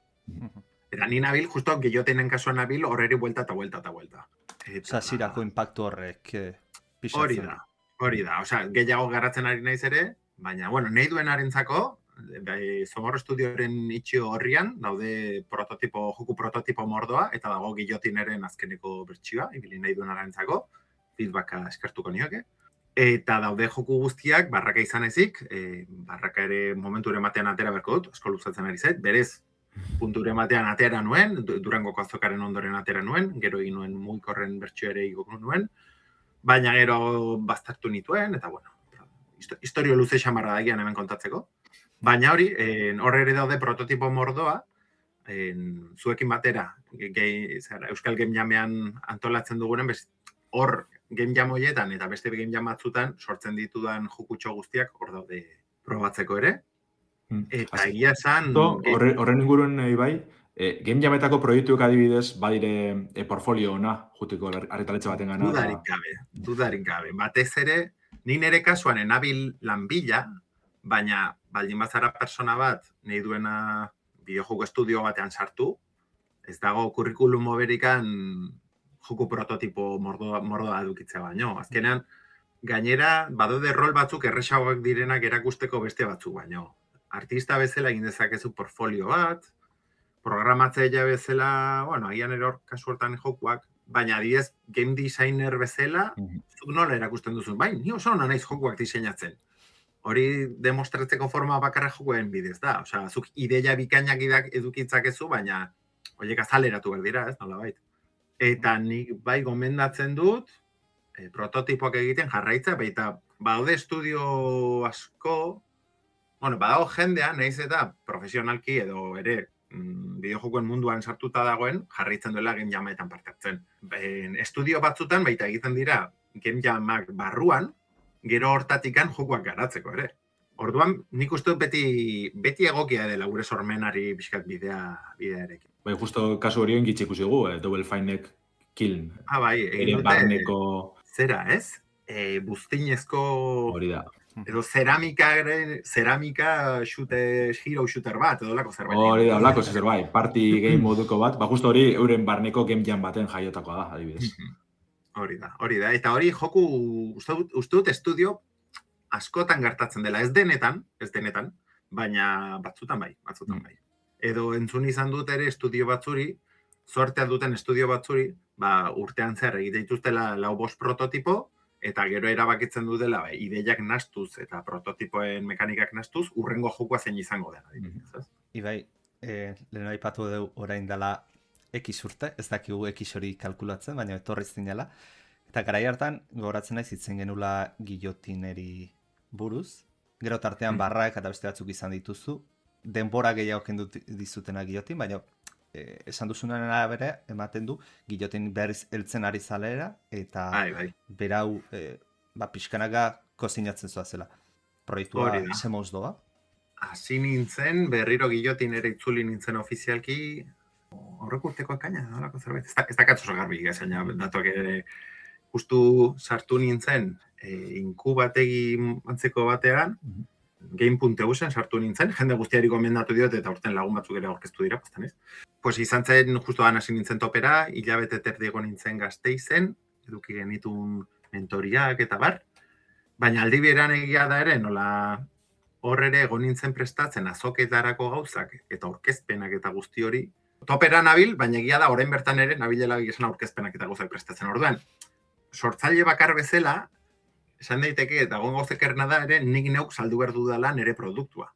Eta ni nabil, justo Guillotinen kasuan nabil, horreri buelta eta buelta. Zirako impactu horrek pisatzen. Hori da. Osea, gehiago garatzen ari naiz ere, baina, bueno, nahi duen arentzako, Zomorro Estudioren itxio horrian, daude joku prototipo mordoa, eta dago Guillotineren azkeneko bertsioa, ibili nahi duen arentzako, feedbacka eskertuko nioke. Eta daude joku guztiak, barraka izan ezik, barraka ere momenture batean atera berko dut, asko luzatzen ari zait, berez, punture batean atera nuen, Durangoko azokaren ondoren atera nuen, gero egin nuen mugikorren bertsio ere igoko nuen, baina gero baztertu nituen, eta bueno, historio luze xamarra da gian hemen kontatzeko. Baina hori, horre ere daude prototipo mordoa, zuekin batera, Euskal Game Jamean antolatzen dugunen, hor game jam hoietan eta beste game jam batzutan sortzen ditudan jokutxo guztiak hor daude probatzeko ere. Eta egia esan... Horren inguruen bai, game jametako proiektuek adibidez, badire portfolio ona, jutiko arretaletxe baten gana. Dudarik gabe. Batez ere, ni nire kasuan enabil lan bila, baina baldin bazara persona bat, nahi duena bideojoko estudio batean sartu, ez dago kurrikulum berikan joku prototipo mordoa edukitzea baino. Azkenean, gainera, badaude rol batzuk erresagoak direnak erakusteko beste batzuk baino. Artista bezala egin dezakezu portfolio bat, programatzailea bezala, bueno, agian eror kasu hortan jokuak, baina adibidez game designer bezala, zuk nola erakusten duzun, bai, ni oso ona naiz jokuak diseinatzen. Hori demostratzeko forma bakarra jokuen bidez da. Osea, zuk ideia bikainak edukitzakezu, baina horiek azaleratu behar dira, ez, nolabait. Eta nik bai gomendatzen dut, prototipoak egiten jarraitza, baita badaude estudio asko, bueno, badago jendean, nahiz eta profesionalki edo ere bideojokoen munduan sartuta dagoen, jarraitzen duela game jametan parte hartzen. Estudio batzutan baita egiten dira game jamak barruan, gero hortatikan jokuak garatzeko ere. Orduan, nik uste dut beti egokia dela gure sormenari pixkat bidea erekin. Bai, justo kasu horien gitxe ikusigu, Double Fine-ek Kiln. Bai, egin barneko... Zera, ez? Buztinezko... Hori da. Edo ceramika hero shooter bat, edo lako zerbait. Hori da, lako zerbait, party game moduko bat, justo hori euren barneko game jam baten jaiotakoa da, adibidez. Hori da. Eta hori joku, uste dut estudio askotan gertatzen dela, ez denetan, baina batzutan bai. Edo entzun izan dut ere estudio batzuri, sortea duten estudio batzuri, urtean zer egite dituztela 4-5 prototipo, eta gero erabakitzen dutela ideiak nastuz eta prototipoen mekanikak nastuz, urrengo jokua zein izango dela. Ibai, lehen aipatu dugu orain dela X urte, ez dakigu X hori kalkulatzen, baina etorri zinela. Eta garai hartan, gogoratzen naiz hitzen genula gillotineri buruz. Gero tartean barrak eta beste batzuk izan dituzu. Denbora gehiago kendu dizutena gillotin, baina esan duzunen arabera ematen du gillotin berriz heltzen ari zalera eta berau pixkanaga kozinatzen zoazela. Proiektua zemoz doa? Hasi nintzen, berriro gillotinera itzuli nintzen ofizialki horrek urteko ekaina, nolako zerbait. Ez da katzoso garbi, gazaina, datuak ere justu sartu nintzen inkubategi antzeko batean, Game.eusen sartu nintzen, jende guztiari gomendatu diot eta urten lagun batzuk ere aurkeztu dira, pastan ez. Pues izan zen, justu hasi nintzen topera, hilabete terdiego nintzen Gasteizen, eduki genitun mentoriak eta bar, baina aldi beran egia da ere, nola hor ere egon nintzen prestatzen azoketarako gauzak eta aurkezpenak eta guzti hori. Topera nabil, baina egia da orain bertan ere nabilela esan aurkezpenak eta gauzak prestatzen. Orduan, sortzaile bakar bezala, esan daiteke, eta gongo zekerna da ere, nik neuk saldu behar dudala nire produktua.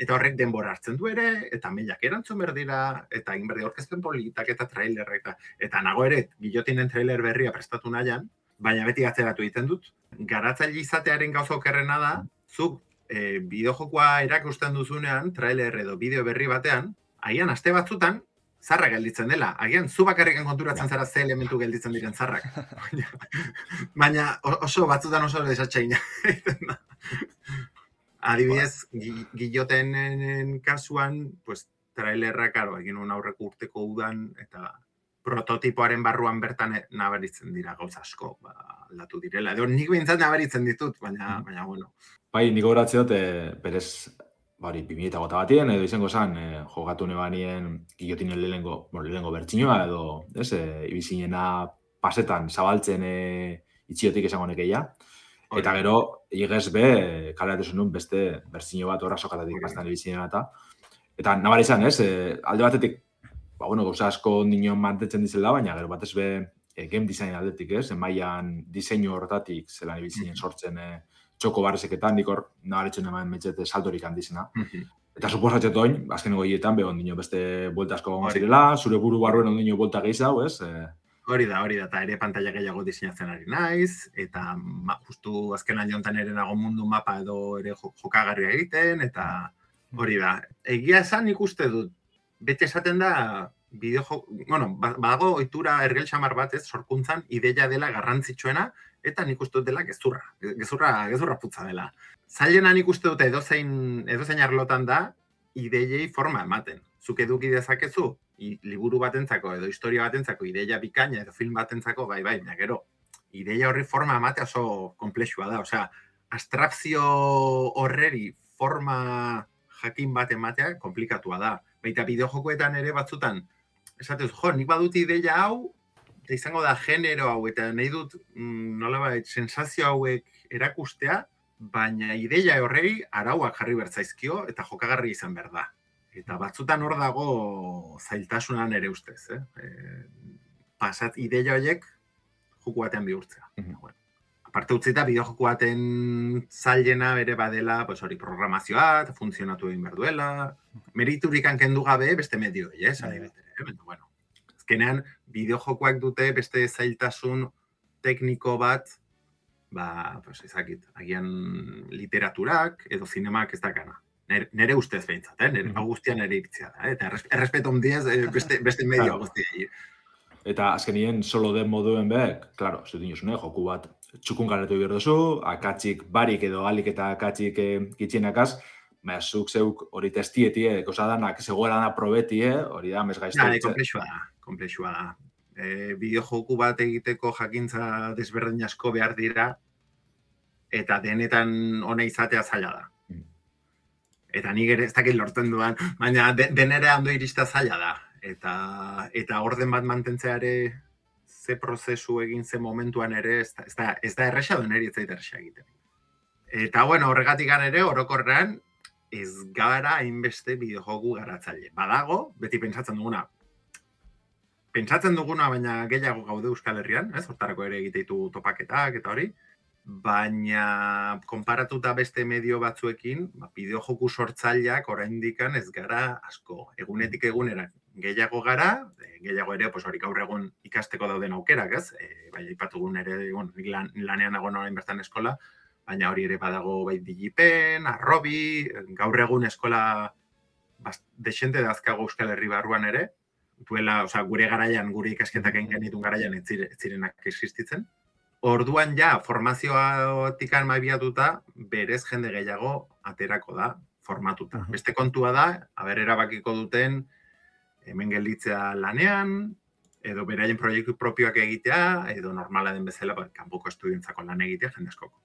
Eta horrek denbora hartzen du ere, eta mailak erantzun behar dira, eta egin behar dira aurkezpen politak eta trailerrak, eta nago ere, gillotinen trailer berria prestatu nahian, baina beti atzeratu egiten dut. Garatzaile izatearen gauza okerrena da, zuk bideojokoa erakusten duzunean, trailer edo bideo berri batean, agian aste batzutan, zarra gelditzen dela. Agian, zu bakarriken konturatzen zara ze elementu gelditzen diren zarrak. Baina oso batzutan oso desatxaina. Adibidez, gillotenen kasuan, pues, trailerra, karo, egin un aurreko urteko udan, eta prototipoaren barruan bertan nabaritzen dira gauza asko, aldatu direla. Edo nik behintzat nabaritzen ditut, baina bueno. Bai, niko horatze dut, berez, hori, 2008 batien, edo izango zen, jogatu nebanien gillotinen lehengo bertxinoa, edo, ibizinena pasetan zabaltzen itxiotik esango nekeia. Eta gero, igez be, kaleratu zenun beste bertxino bat horra sokatatik pasetan ibizinena eta nabari izan, alde batetik, gauza asko nion mantetzen dizela, baina gero batez be game design aldetik, mailan diseinu horretatik zelan ibizinen sortzen txoko barrezeketan, nik hor nabaritzen eman metxete saltorik handizena. Eta suposatxet oin, azkeneko hietan, behon dino beste buelta asko gongo zirela, zure buru barruen ondino buelta gehiago, ez? Hori da, eta ere pantalla gehiago diseinatzen ari naiz, eta justu azken aliontan ere nago mundu mapa edo ere jokagarria egiten, eta hori da. Egia esan nik uste dut, bete esaten da, badago ohitura ergel xamar bat, ez, sorkuntzan ideia dela garrantzitsuena, eta nik uste dut dela gezurra putza dela. Zailena nik uste dut edozein arlotan da, ideiei forma ematen. Zuk eduki dezakezu, liburu batentzako edo historia batentzako ideia bikaina edo film batentzako, bai, gero, ideia horri forma ematea oso komplexua da. Osea, abstrakzio horreri forma jakin bat ematea komplikatua da. Baita bideojokoetan ere batzutan, esatez, nik badut ideia hau, eta izango da genero hau, eta nahi dut nolabait sensazio hauek erakustea, baina ideia horrei arauak jarri bertzaizkio eta jokagarri izan behar da. Eta batzutan hor dago zailtasunan ere ustez. Pasat ideia horiek joko batean bihurtzea. Bueno, aparte utzita, bideojoko baten zailena bere badela, hori programazioa, funtzionatu egin behar duela, meriturik kendu gabe beste medio, bueno, azkenean, bideojokoak dute beste zailtasun tekniko bat, ezakit, agian literaturak edo zinemak ez dakana. Nere ustez behintzat, hau guztian nere iktzia da, eta errespeto ondiaz beste medio guztia. Eta azkenien solo den moduen behek, klaro, zuten josune, joku bat txukun garetu behar duzu, akatsik barik edo alik eta akatsik kitxienakaz, zuk zeuk hori testietie, kosadanak zegoela da probetie, hori da, mesgaizte. Komplexua da. Bideojoku bat egiteko jakintza desberdin asko behar dira, eta denetan ona izatea zaila da. Eta nik ere ez dakit lortzen duan, baina denere hando irista zaila da. Eta orden bat mantentzea ere ze prozesu egin ze momentuan ere ez da erresa duen eri ez zaita erresa egiten. Eta bueno, horregatik ere orokorrean ez gara hainbeste bideojoku garatzaile. Badago, beti pentsatzen duguna, baina gehiago gaude Euskal Herrian, hortarako ere egiteitu topaketak eta hori, baina konparatuta beste medio batzuekin, bideojoku sortzaileak oraindikan ez gara asko. Egunetik egunera gehiago gara, gehiago ere hori gaur egun ikasteko dauden aukerak, ez? Bai, aipatugun ere, nik lanean nagoen orain bertan eskola, baina hori ere badago bai Digipen, Arrobi, gaur egun eskola desente dazkago Euskal Herri barruan ere, gure garaian, gure ikasketak egin genitun garaian ez zirenak existitzen. Orduan formazioatik maibiatuta, berez jende gehiago aterako da, formatuta. Beste kontua da, erabakiko duten, hemen gelditzea lanean, edo beraien proiektu propioak egitea, edo normala den bezala, kanpoko estudientzako lan egitea, jende askoko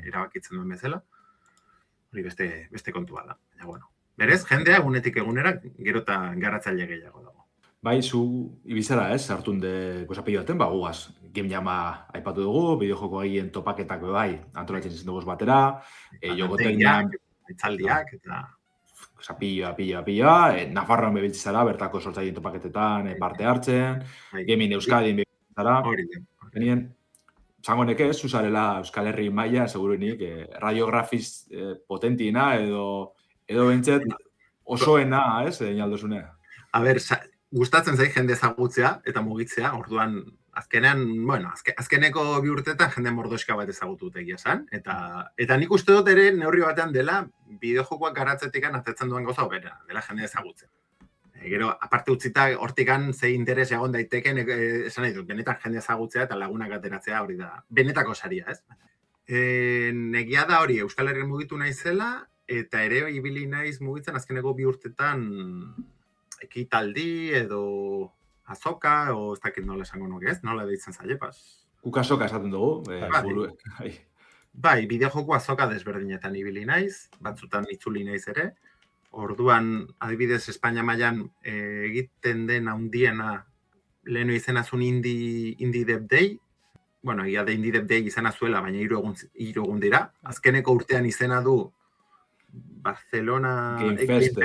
erabakitzen duen bezala. Hori beste kontua da. Berez, jendea egunetik egunera, gero eta garatzaile gehiago dago. Bai, zu ibizara hartun de gozapillo baten, gugaz, Game Jama aipatu dugu, bideojoko egien topaketako bai, antolatzen izan dugu batera, jogotegiak, itzaldiak, eta... Zapilloa, Nafarroan bebiltzara, bertako sortzaileen topaketetan parte hartzen, Gaming Euskadin bebiltzara. Benien, zango neke, zuzarela Euskal Herri maila, seguruenik, radiografiz potentiena, edo bentzet osoena, inaldozune. Gustatzen zait jende ezagutzea eta mugitzea, orduan azkeneko bi urtetan jende mordoska bat ezagutu egia esan, eta nik uste dut ere neurri batean dela bideojokoak garatzetik atetzen duen gauza hobera, dela jende ezagutzen. Gero, aparte utzita, hortikan ze interes egon daiteken, esan nahi dut, benetan jende ezagutzea eta lagunak ateratzea hori da, benetako saria, ez? Negia da hori, Euskal Herrian mugitu naizela, eta ere ibili naiz mugitzen azkeneko bi urtetan ekitaldi edo azoka, o ez dakit nola esango nuke ez, nola deitzen zaile, Guk azoka esaten dugu, buruek. Bai, bideojoko azoka desberdinetan ibili naiz, batzutan itzuli naiz ere. Orduan, adibidez, Espainia mailan egiten den handiena lehenu izenazun Indie Dev Day. Bueno, egia da Indie Dev Day izena zuela, baina 3 egun dira. Azkeneko urtean izena du Barcelona Game Fest,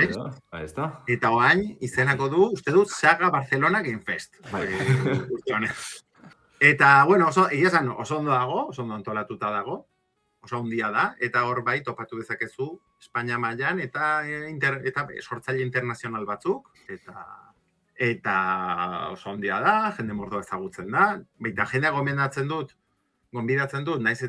eta oain izenako du, uste dut, Saga Barcelona Game Fest. Eta, bueno, egia esan oso ondo dago, oso ondo antolatuta dago, oso ondia da, eta hor bai topatu dezakezu Espainia mailan eta sortzaile internazional batzuk, eta oso ondia da, jende mordoa ezagutzen da, baita jendea gonbidatzen dut, naiz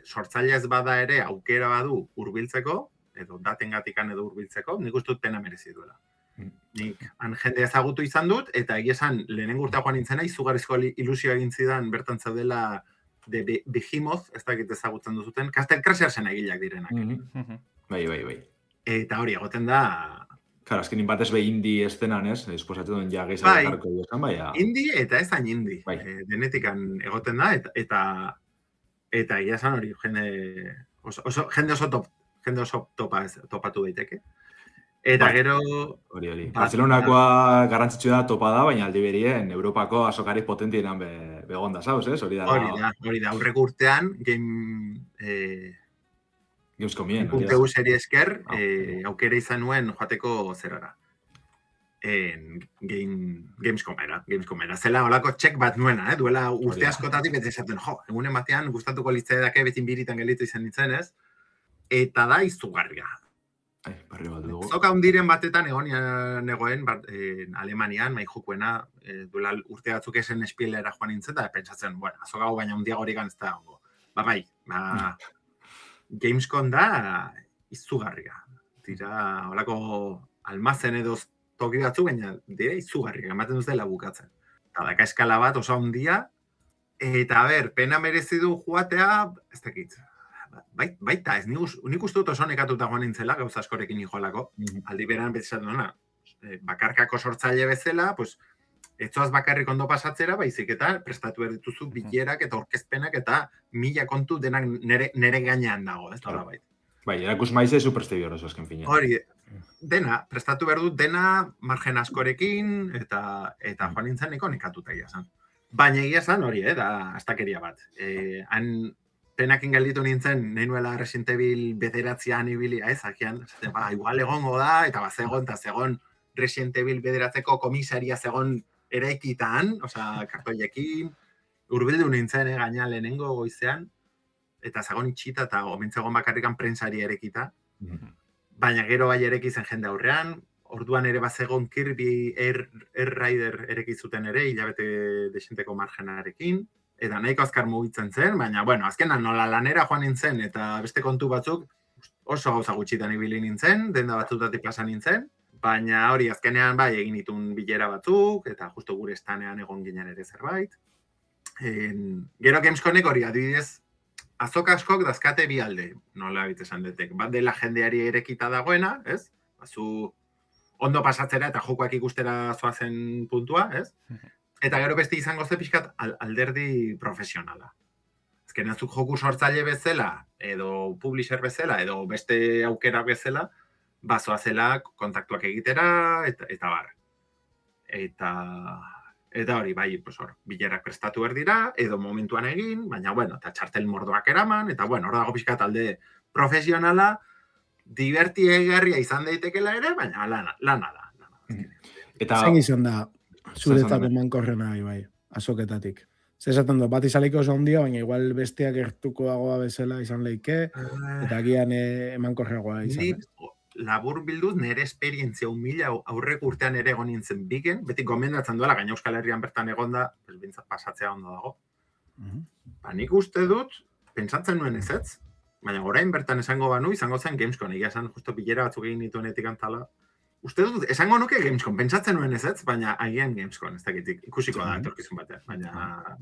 sortzailea ez bada ere aukera badu hurbiltzeko, edo datengatikan edo hurbiltzeko, nik uste dut pena merezi duela. Nik han jende ezagutu izan dut, eta egia esan lehenengo urtea joan nintzena, izugarrizko ilusio egin zidan bertan zaudela de Behemoth, ez dakit ezagutzen duzuten, Castle Crashersen egileak direnak. Bai. Eta hori egoten da... Claro, azkenin batez be indie estenan, ez? Esposatu duen ja gehiago jarko duzan, baina... Indie eta ez hain indie. Bai. Denetikan egoten da, eta egia esan hori, jende oso topatu daiteke. Eta gero... Hori. Barcelonakoa garrantzitsu da topa da, baina aldi berien Europako azokari potentienan begonda, zauz, ez? Hori da, aurreko urtean, Gamescomien. Urtegu seri esker, aukera izan nuen joateko zerara. Gamescomera. Zela holako txek bat nuena, duela urte askotatik bete esaten, egunen batean gustatuko litzaidake betin biritan gelitu izan nintzen, ez? Eta da izugarria. Barri bat dugu. Zoka hundiren batetan negoen Alemanian, maijukuena, duela urte batzuk esen espielera joan nintzen, eta pentsatzen, azoka baina hundiago hori ez da hongo. Gamescom da izugarria. Tira, holako almazen edo toki batzu, baina dira izugarria, ematen duz dela bukatzen. Eta daka eskala bat oso handia, eta pena merezi du joatea, ez dakit. Baita, ez nik uste dut oso nekatuta joan nintzela, gauza askorekin joalako. Aldi beran betizatu duna, bakarkako sortzaile bezala, pues, etzoaz bakarrik ondo pasatzera, baizik eta prestatu erdituzu bilerak eta orkezpenak eta 1000 kontu denak nere gainean dago, ez da bait. Bai, erakus maize superstigoroso azken fina. Hori, dena, prestatu behar dut dena margen askorekin eta joan nintzen niko nekatuta egia zan. Baina egia zan hori, da astakeria bat. Han penakin gelditu nintzen, nahi nuela Resident Evil 9 ibilia, ez, akian, igual egongo da, eta zegon Resident Evil 9 komisaria zegon eraikitan, kartoiekin, urbildu nintzen, gaina lehenengo goizean, eta zegon itxita eta omintzegon bakarrikan prentsari erekita. Baina gero bai ereki zen jende aurrean, orduan ere bazegon Kirby Air Rider erekizuten ere, hilabete desinteko margenarekin, eta nahiko azkar mugitzen zen, baina, azkenan nola lanera joan nintzen, eta beste kontu batzuk oso gauza gutxitan ibili nintzen, denda batzutatik pasa nintzen, baina hori azkenean egin ditun bilera batzuk, eta justo gure estanean egon ginen ere zerbait. Gero Gamescomek hori adibidez, azoka askok dazkate bi alde, nola bitesan detek. Bat dela jendeari erekita dagoena, ez? Zu ondo pasatzera eta jokoak ikustera zoazen puntua, ez? Eta gero beste izango ze pixkat alderdi profesionala. Azken azuk joku sortzaile bezala, edo publisher bezala, edo beste aukera bezala, bazoazela kontaktuak egitera, eta bar. Eta hori, bilerak prestatu berdira, edo momentuan egin, baina, eta txartel mordoak eraman, eta, hor dago pixkat alde profesionala, diverti egarria izan daitekela ere, baina lana da. Zein izan da, zuretako mankorrena, azoketatik. Zesaten du, bat izaliko oso ondia, baina igual besteak gertukoagoa bezala izan leike, eta agian emankorreagoa izan. Labur bilduz, nire esperientzia humila aurreko urtean ere egon nintzen bigen, beti gomendatzen duela, gaina Euskal Herrian bertan egonda, bintzat pasatzea ondo dago. Nik uste dut, pentsatzen nuen ezetz, baina orain bertan esango banu, izango zen Gamescom, egia esan justo bilera batzuk egin nituenetik antala. Uste dut, esango nuke Gamescom, pentsatzen nuen ezetz, baina agian Gamescom, ez dakitik, ikusiko da, etorkizun batean.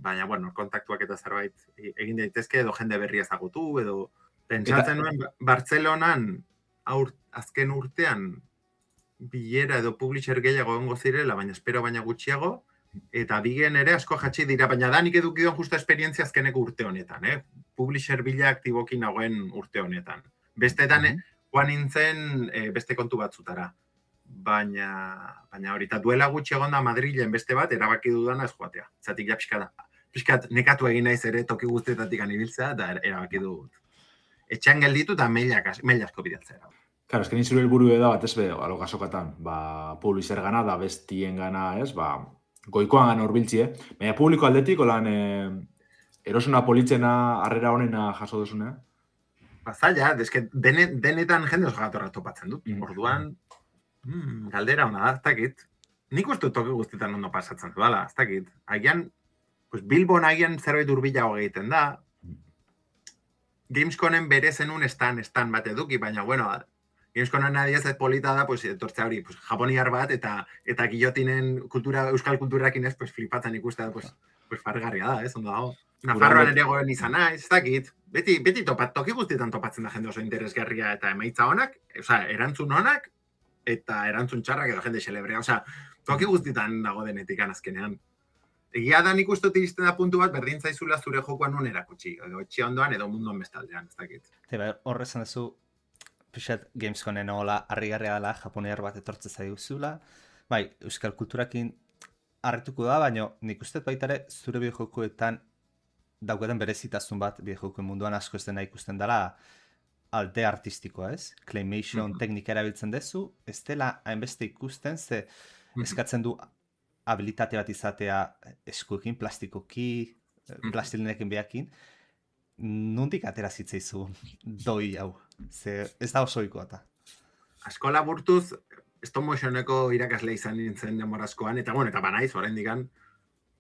Baina, kontaktuak eta zerbait egin daitezke, edo jende berria ezagutu, edo pentsatzen nuen Bartzelonan, azken urtean bilera edo publisher gehiago egongo zirela, baina espero baina gutxiago, eta bigen ere asko jatsi dira, baina da nik edukidon justa esperientzia azkeneko urte honetan, publisher bila aktibokin nagoen urte honetan. Besteetan, joan nintzen beste kontu batzutara. Baina hori, eta duela gutxi egon da Madrilen beste bat, erabaki dudana ez joatea. Zatik ja pixkat nekatu egin naiz ere toki guztietatik anibiltzea, eta erabaki dut. Etxean gelditu eta mail asko bidatzera. Claro, esken izuru helburu da bat ez alo gasokatan, publisher gana da bestien gana, ez, goikoan gana urbiltzie. Baina publiko aldetik, olan erosuna politzena, harrera honena jaso duzunea? Zaila, denetan jende oso gatorra topatzen dut. Orduan, galdera hona da, ez dakit. Nik uste toki guztietan ondo pasatzen dudala, ez dakit. Agian, Bilbon agian zerbait urbilago egiten da, Gamescomen bere zenun estan bat eduki, baina, Gamescomen adiez ez polita da, pues, etortzea hori, pues, japoniar bat, eta guillotinen euskal kulturakin ez, pues, flipatzen ikustea, pues fargarria da, ondo dago. Nafarroan ere goen izan naiz, ez dakit. Beti toki guztietan topatzen da jende oso interesgarria eta emaitza honak, erantzun honak, eta erantzun txarrak edo jende xelebrea, toki guztietan dago denetik azkenean. Egia da nik uste iristen da puntu bat, berdin zaizula zure jokoan nun erakutsi, edo etxia ondoan edo munduan bestaldean, ez dakit. Horrezan duzu, pixat Gamescomen hola harrigarria dela, japoniar bat etortze zaiguzula, bai, euskal kulturakin harrituko da, baina nik uste baitare zure bideojokoetan daukaten berezitasun bat bideojokoen munduan asko ez dena ikusten dela alde artistikoa, ez? Claymation teknika erabiltzen dezu, ez dela hainbeste ikusten, ze eskatzen du habilitate bat izatea eskuekin, plastikoki, plastilinekin behakin, nondik atera zitzaizu doi hau? Ze ez da oso ohikoa eta. Asko laburtuz, stop motioneko irakasle izan nintzen demorazkoan, eta banaiz, oraindikan,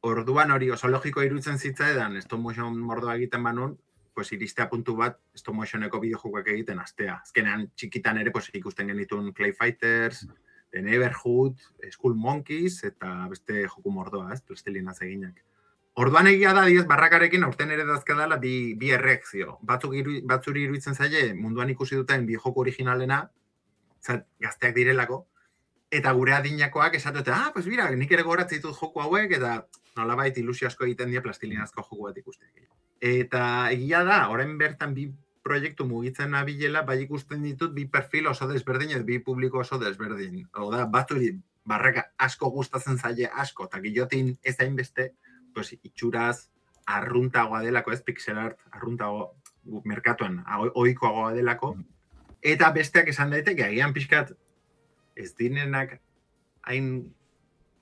orduan hori oso logiko iruditzen zitzaidan stop motion mordoa egiten banun, pues iristea puntu bat stop motioneko bideojokoak egiten astea. Azkenean txikitan ere pues ikusten genitun Clay Fighters, The Neighborhood, Skull Monkeys eta beste joku mordoa, ez, plastilinaz eginak. Orduan egia da 10 barrakarekin aurten ere dazkadala bi erreakzio. Batzuri iruditzen zaie munduan ikusi duten bideojoko originalena, gazteak direlako, eta gure adinakoak esatute, pues mira, nik ere goratzen ditut joku hauek, eta nolabait ilusio asko egiten dira plastilinazko joku bat ikusten. Eta egia da, orain bertan bi proiektu mugitzen nabilela, bai ikusten ditut bi perfil oso desberdin edo bi publiko oso desberdin. Oda, batzuri barraka asko gustatzen zaie asko, eta guillotin ez hainbeste, pues itxuraz arruntagoa delako, ez pixel art arruntago merkatuan ohikoagoa delako, eta besteak esan daiteke, agian pixkat ez dinenak hain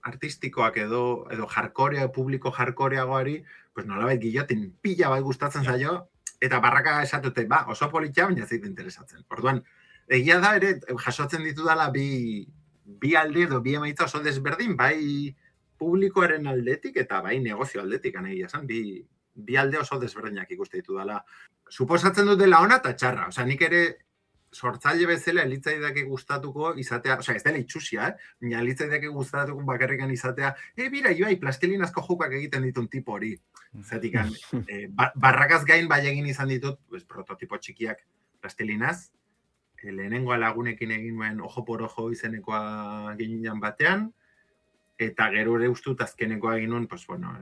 artistikoak edo jarkorea, publiko jarkoreagoari, pues nolabait guillotin pila bai gustatzen zaio, eta barraka esatute, oso politxa, baina zait interesatzen. Orduan, egia da ere, jasotzen ditu dela bi alde edo bi emaitza oso desberdin, bai publikoaren aldetik eta bai negozio aldetik, egia esan, bi alde oso desberdinak ikuste ditu dela. Suposatzen dut dela ona eta txarra, nik ere sortzaile bezala elitzaidake gustatuko izatea, ez dela itxusia, baina elitzaidake gustatuko bakarrikan izatea, bira, Ibai, plastilinazko jokoak egiten ditun tipo hori. Zatik, barrakaz gain bai egin izan ditut, prototipo txikiak plastilinaz, lehenengoa lagunekin egin nuen ojo por ojo izenekoa ginen batean, eta gero ere ustut azkenekoa egin nuen,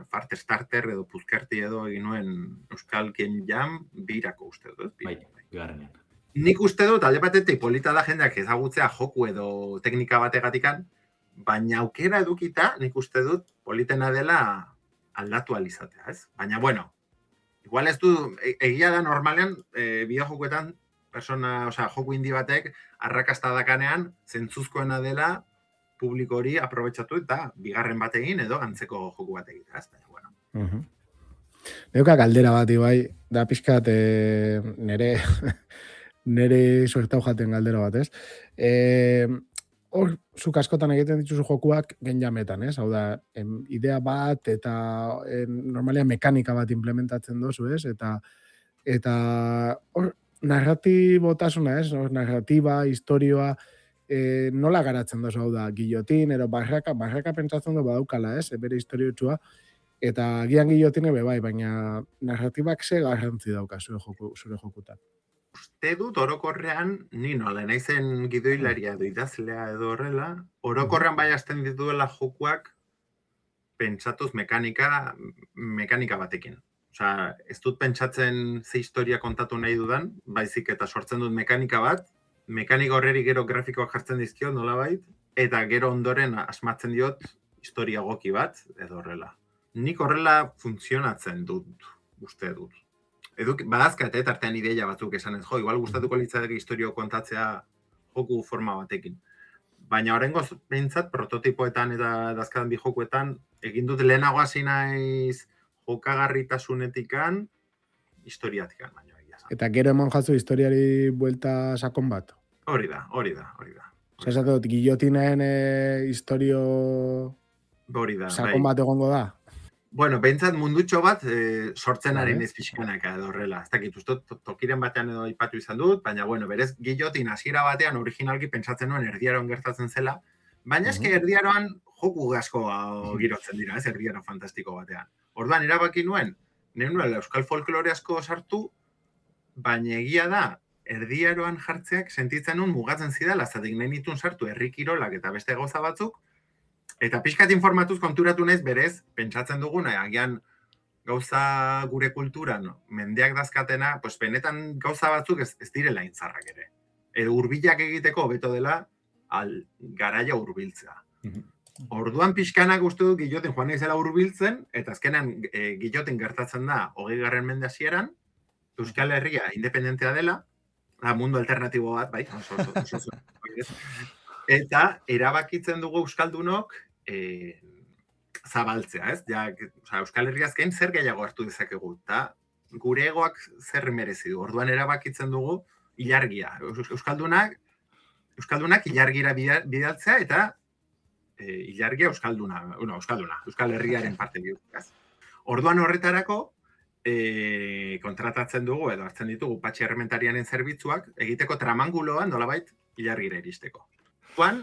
Fart Starter edo Puzkerti edo egin nuen Euskal Game Jam birako uste dut. Bai, bigarrenean. Nik uste dut, alde batetik polita da jendeak ezagutzea joku edo teknika bategatikan, baina aukera edukita, nik uste dut politena dela aldatu alizatea, ez? Baina, igual ez du, egia da normalean, bideojokoetan, joku indi batek, arrakasta dakanean, zentzuzkoena dela, publiko hori aprobetxatu eta bigarren bategin edo antzeko joku bat egitea, ez? Baina, Neuka galdera bat, Ibai, da pixkat nere suertau jaten galdera bat, ez? Hor, zuk askotan egiten dituzu jokuak genjametan, ez? Hau da, idea bat eta normalean mekanika bat implementatzen dozu, ez? Eta hor, narratibotasuna, ez? Narratiba, historioa, nola garatzen dozu, hau da, guillotin, ero barraka pentsatzen du badaukala, ez? Bere historiotxua, eta gian guillotine bai, baina narratibak ze garrantzi dauka zure jokutan. Uste dut orokorrean, ni nola naizen gidoilaria edo idazlea edo horrela, orokorrean bai hasten dituela jokuak pentsatuz mekanika batekin. Ez dut pentsatzen ze historia kontatu nahi dudan, baizik eta sortzen dut mekanika bat, mekanika horreri gero grafikoak jartzen dizkio nolabait, eta gero ondoren asmatzen diot historia goki bat edo horrela. Nik horrela funtzionatzen dut, uste dut. Badazkat, tartean ideia batzuk esanez, igual gustatuko litzateke historio kontatzea joku forma batekin. Baina horrengoz behintzat, prototipoetan eta dazkatan bi jokuetan, egin dut lehenago hasi naiz jokagarritasunetikan, historiatikan baino egia. Eta gero eman jatzu historiari buelta sakon bat? Hori da. Esate guillotinen historio sakon bat egongo da? Bueno, behintzat mundutxo bat sortzenaren Vale. ez pixkanaka edo horrela. Ez dakit, uste tokiren batean edo aipatu izan dut, baina bueno, berez Guillotin hasiera batean originalki pentsatzen nuen erdiaroan gertatzen zela, baina eske erdiaroan joku asko girotzen dira, ez erdiaro fantastiko batean. Orduan erabaki nuen, nuela euskal folklore asko sartu, baina egia da, erdiaroan jartzeak sentitzen nun mugatzen zidala, zatik nahi nituen sartu herri kirolak eta beste gauza batzuk, eta pixkat informatuz konturatu naiz berez, pentsatzen duguna, agian gauza gure kulturan, mendeak dazkatena, pues benetan gauza batzuk ez direla intzarrak ere. Edo hurbilak egiteko hobeto dela, garaia hurbiltzea. Orduan pixkanak uste dut Guillotin joan naizela hurbiltzen, eta azkenan Guillotin gertatzen da 20. mende hasieran, Euskal Herria independentea dela, mundu alternatibo bat, bai, oso. Eta erabakitzen dugu euskaldunok zabaltzea, ez? Ja, Euskal Herria azken zer gehiago hartu dezakegu, eta gure egoak zer merezi du. Orduan erabakitzen dugu ilargia. Euskaldunak ilargira bidaltzea eta ilargia euskalduna, Euskal Herriaren parte bihurtzea. Orduan horretarako kontratatzen dugu edo hartzen ditugu patxi errementarianen zerbitzuak egiteko tramanguloan nolabait ilargira iristeko. Orduan,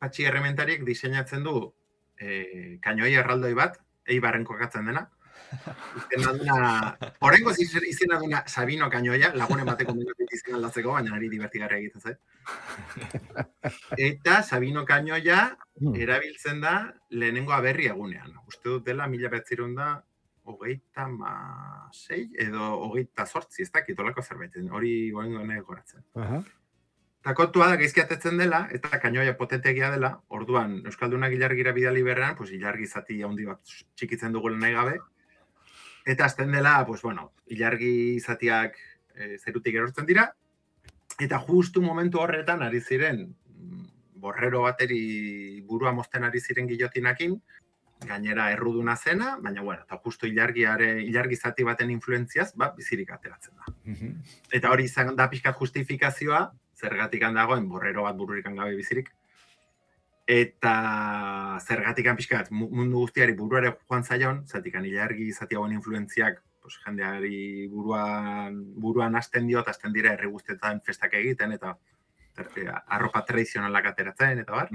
patxi errementariek diseinatzen du kainoi erraldoi bat, Eibarren kokatzen dena. Horrengoz izena duna Sabino kainoia, lagunen bateko minutik izena aldatzeko, baina ari divertigarria egiten zait. Eta Sabino kainoia erabiltzen da lehenengo aberri egunean. Uste dut dela 1936 edo 28, ez dakit olako zerbait, hori goen goratzen. Eta kontua da gaizkiatetzen dela, eta kainoia potentegia dela, orduan Euskaldunak ilargira bidali berrean, pues ilargi zati handi bat txikitzen dugu nahi gabe, eta azten dela, pues bueno, ilargi zatiak zerutik erortzen dira, eta justu momentu horretan ari ziren, borrero bateri burua mozten ari ziren Guillotinakin, gainera erruduna zena, baina bueno, eta justu ilargi zati baten influentziaz, bizirik ateratzen da. Eta hori izan da pixkat justifikazioa, zergatik dagoen borrero bat bururikan gabe bizirik, eta zergatik pixkat mundu guztiari buruare joan zaion, zatikan ilargi zati hauen influentziak jendeari buruan hasten dio, eta hasten dira herri guztetan festak egiten, eta arropa tradizionalak ateratzen, eta bar.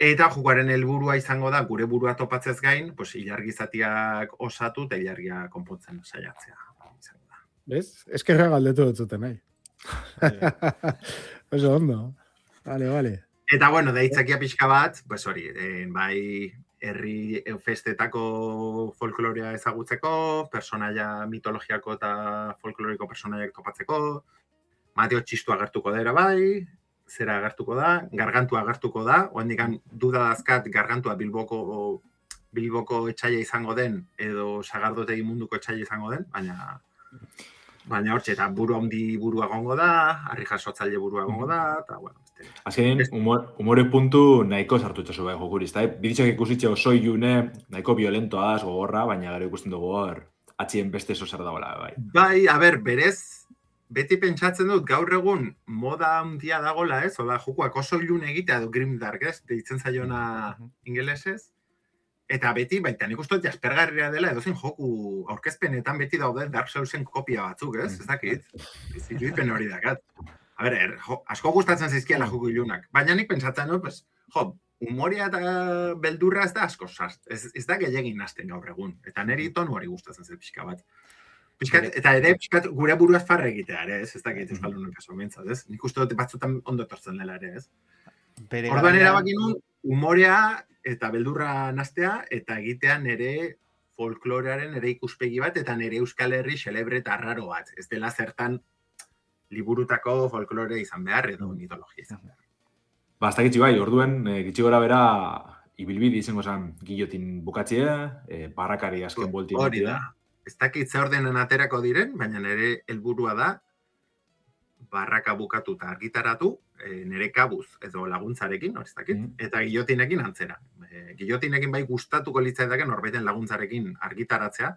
Eta jokuaren helburua izango da, gure burua topatzez gain, ilargi zatiak osatu eta ilargia konpontzen saiatzea. Bez? Eskerra galdetu dut zuten, nahi. Oso ondo. Vale. Eta, bueno, da hitzakia pixka bat, hori, bai herri festetako folklorea ezagutzeko, personaia mitologiako eta folkloriko personaiak topatzeko, Mateo Txistu agertuko dira bai, zera agertuko da, gargantua agertuko da, oendikan duda dazkat gargantua Bilboko etxaila izango den, edo sagardotegi munduko etxaila izango den, baina hortxe, eta burua gongo da, harri jasotzaile burua gongo da, eta, bueno, azkenin, humore puntu nahiko sartu itxasu bai jokuriz, eta biditzak ikusitxe oso ilune, nahiko violentoaz, gogorra, baina gero ikusten dugu hor, atxien beste eso zer dagoela, bai. Bai, berez, beti pentsatzen dut, gaur egun moda handia dagola, ez? Ola, jokuak oso ilun egitea du grimdark, ez? Deitzen zaiona ingelesez. Eta beti, baita nik uste dut jaspergarria dela, edozein joku aurkezpenetan beti daude Dark Soulsen kopia batzuk, ez? Ez dakit? Irudipen hori dakat. Asko gustatzen zaizkiela joku ilunak. Baina nik pentsatzen dut, humorea eta beldurra ez da asko sart. Ez da gehiagin hasten gaur egun. Eta niri tonu hori gustatzen zen pixka bat. Eta ere, gure buruaz farra egitea, ere, ez dakit euskaldunak kaso mentzat, ez? Nik uste dut batzutan ondo etortzen dela, ere, ez? Orduan erabaki nun, humorea eta beldurra nastea, eta egitea nere folklorearen ere ikuspegi bat, eta nere Euskal Herri xelebre eta raro bat. Ez dela zertan liburutako folklore izan behar, edo mitologia izan behar. Ez dakitzi bai, orduen, gitxi gora bera, ibilbidi izango zen Guillotin bukatzie, barrakari azken bolti. Hori da. Ez dakit ze ordenen aterako diren, baina nire helburua da barraka bukatu eta argitaratu, nire kabuz edo laguntzarekin, ez dakit, eta Guillotinekin antzera. Guillotinekin bai gustatuko litzaidake norbaiten laguntzarekin argitaratzea,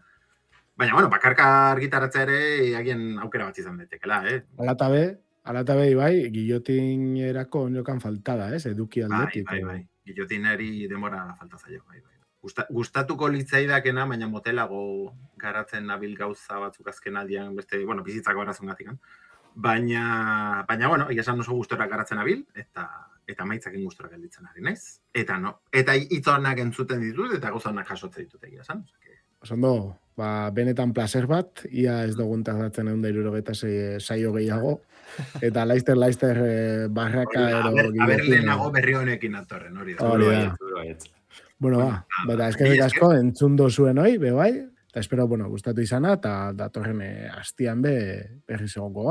baina, bueno, bakarka argitaratzea ere agien aukera bat izan daitekeela, Alatabe, bai, Guillotinerako onjokan faltada, ez? Eduki aldetik. Bai. Guillotineri demora falta zaio, bai. gustatuko litzaidakena, baina motelago garatzen nabil gauza batzuk azken aldian, beste, bueno, bizitzako arazongatik. Baina, bueno, esan oso gustora garatzen nabil, eta maitzakin gustora gelditzen ari naiz. Eta hitz honak entzuten ditut, eta gauza honak jasotzen ditut egia esan. Osondo, benetan placer bat, ia ez dugun tardatzen 176 saio gehiago, eta laizter barraka ero... Aber lehenago berri honekin atorren, hori da. Bueno, beta eskerrik asko entzundo zuen hoi, bai, eta espero, gustatu izana, eta datorren hastian berriz egongo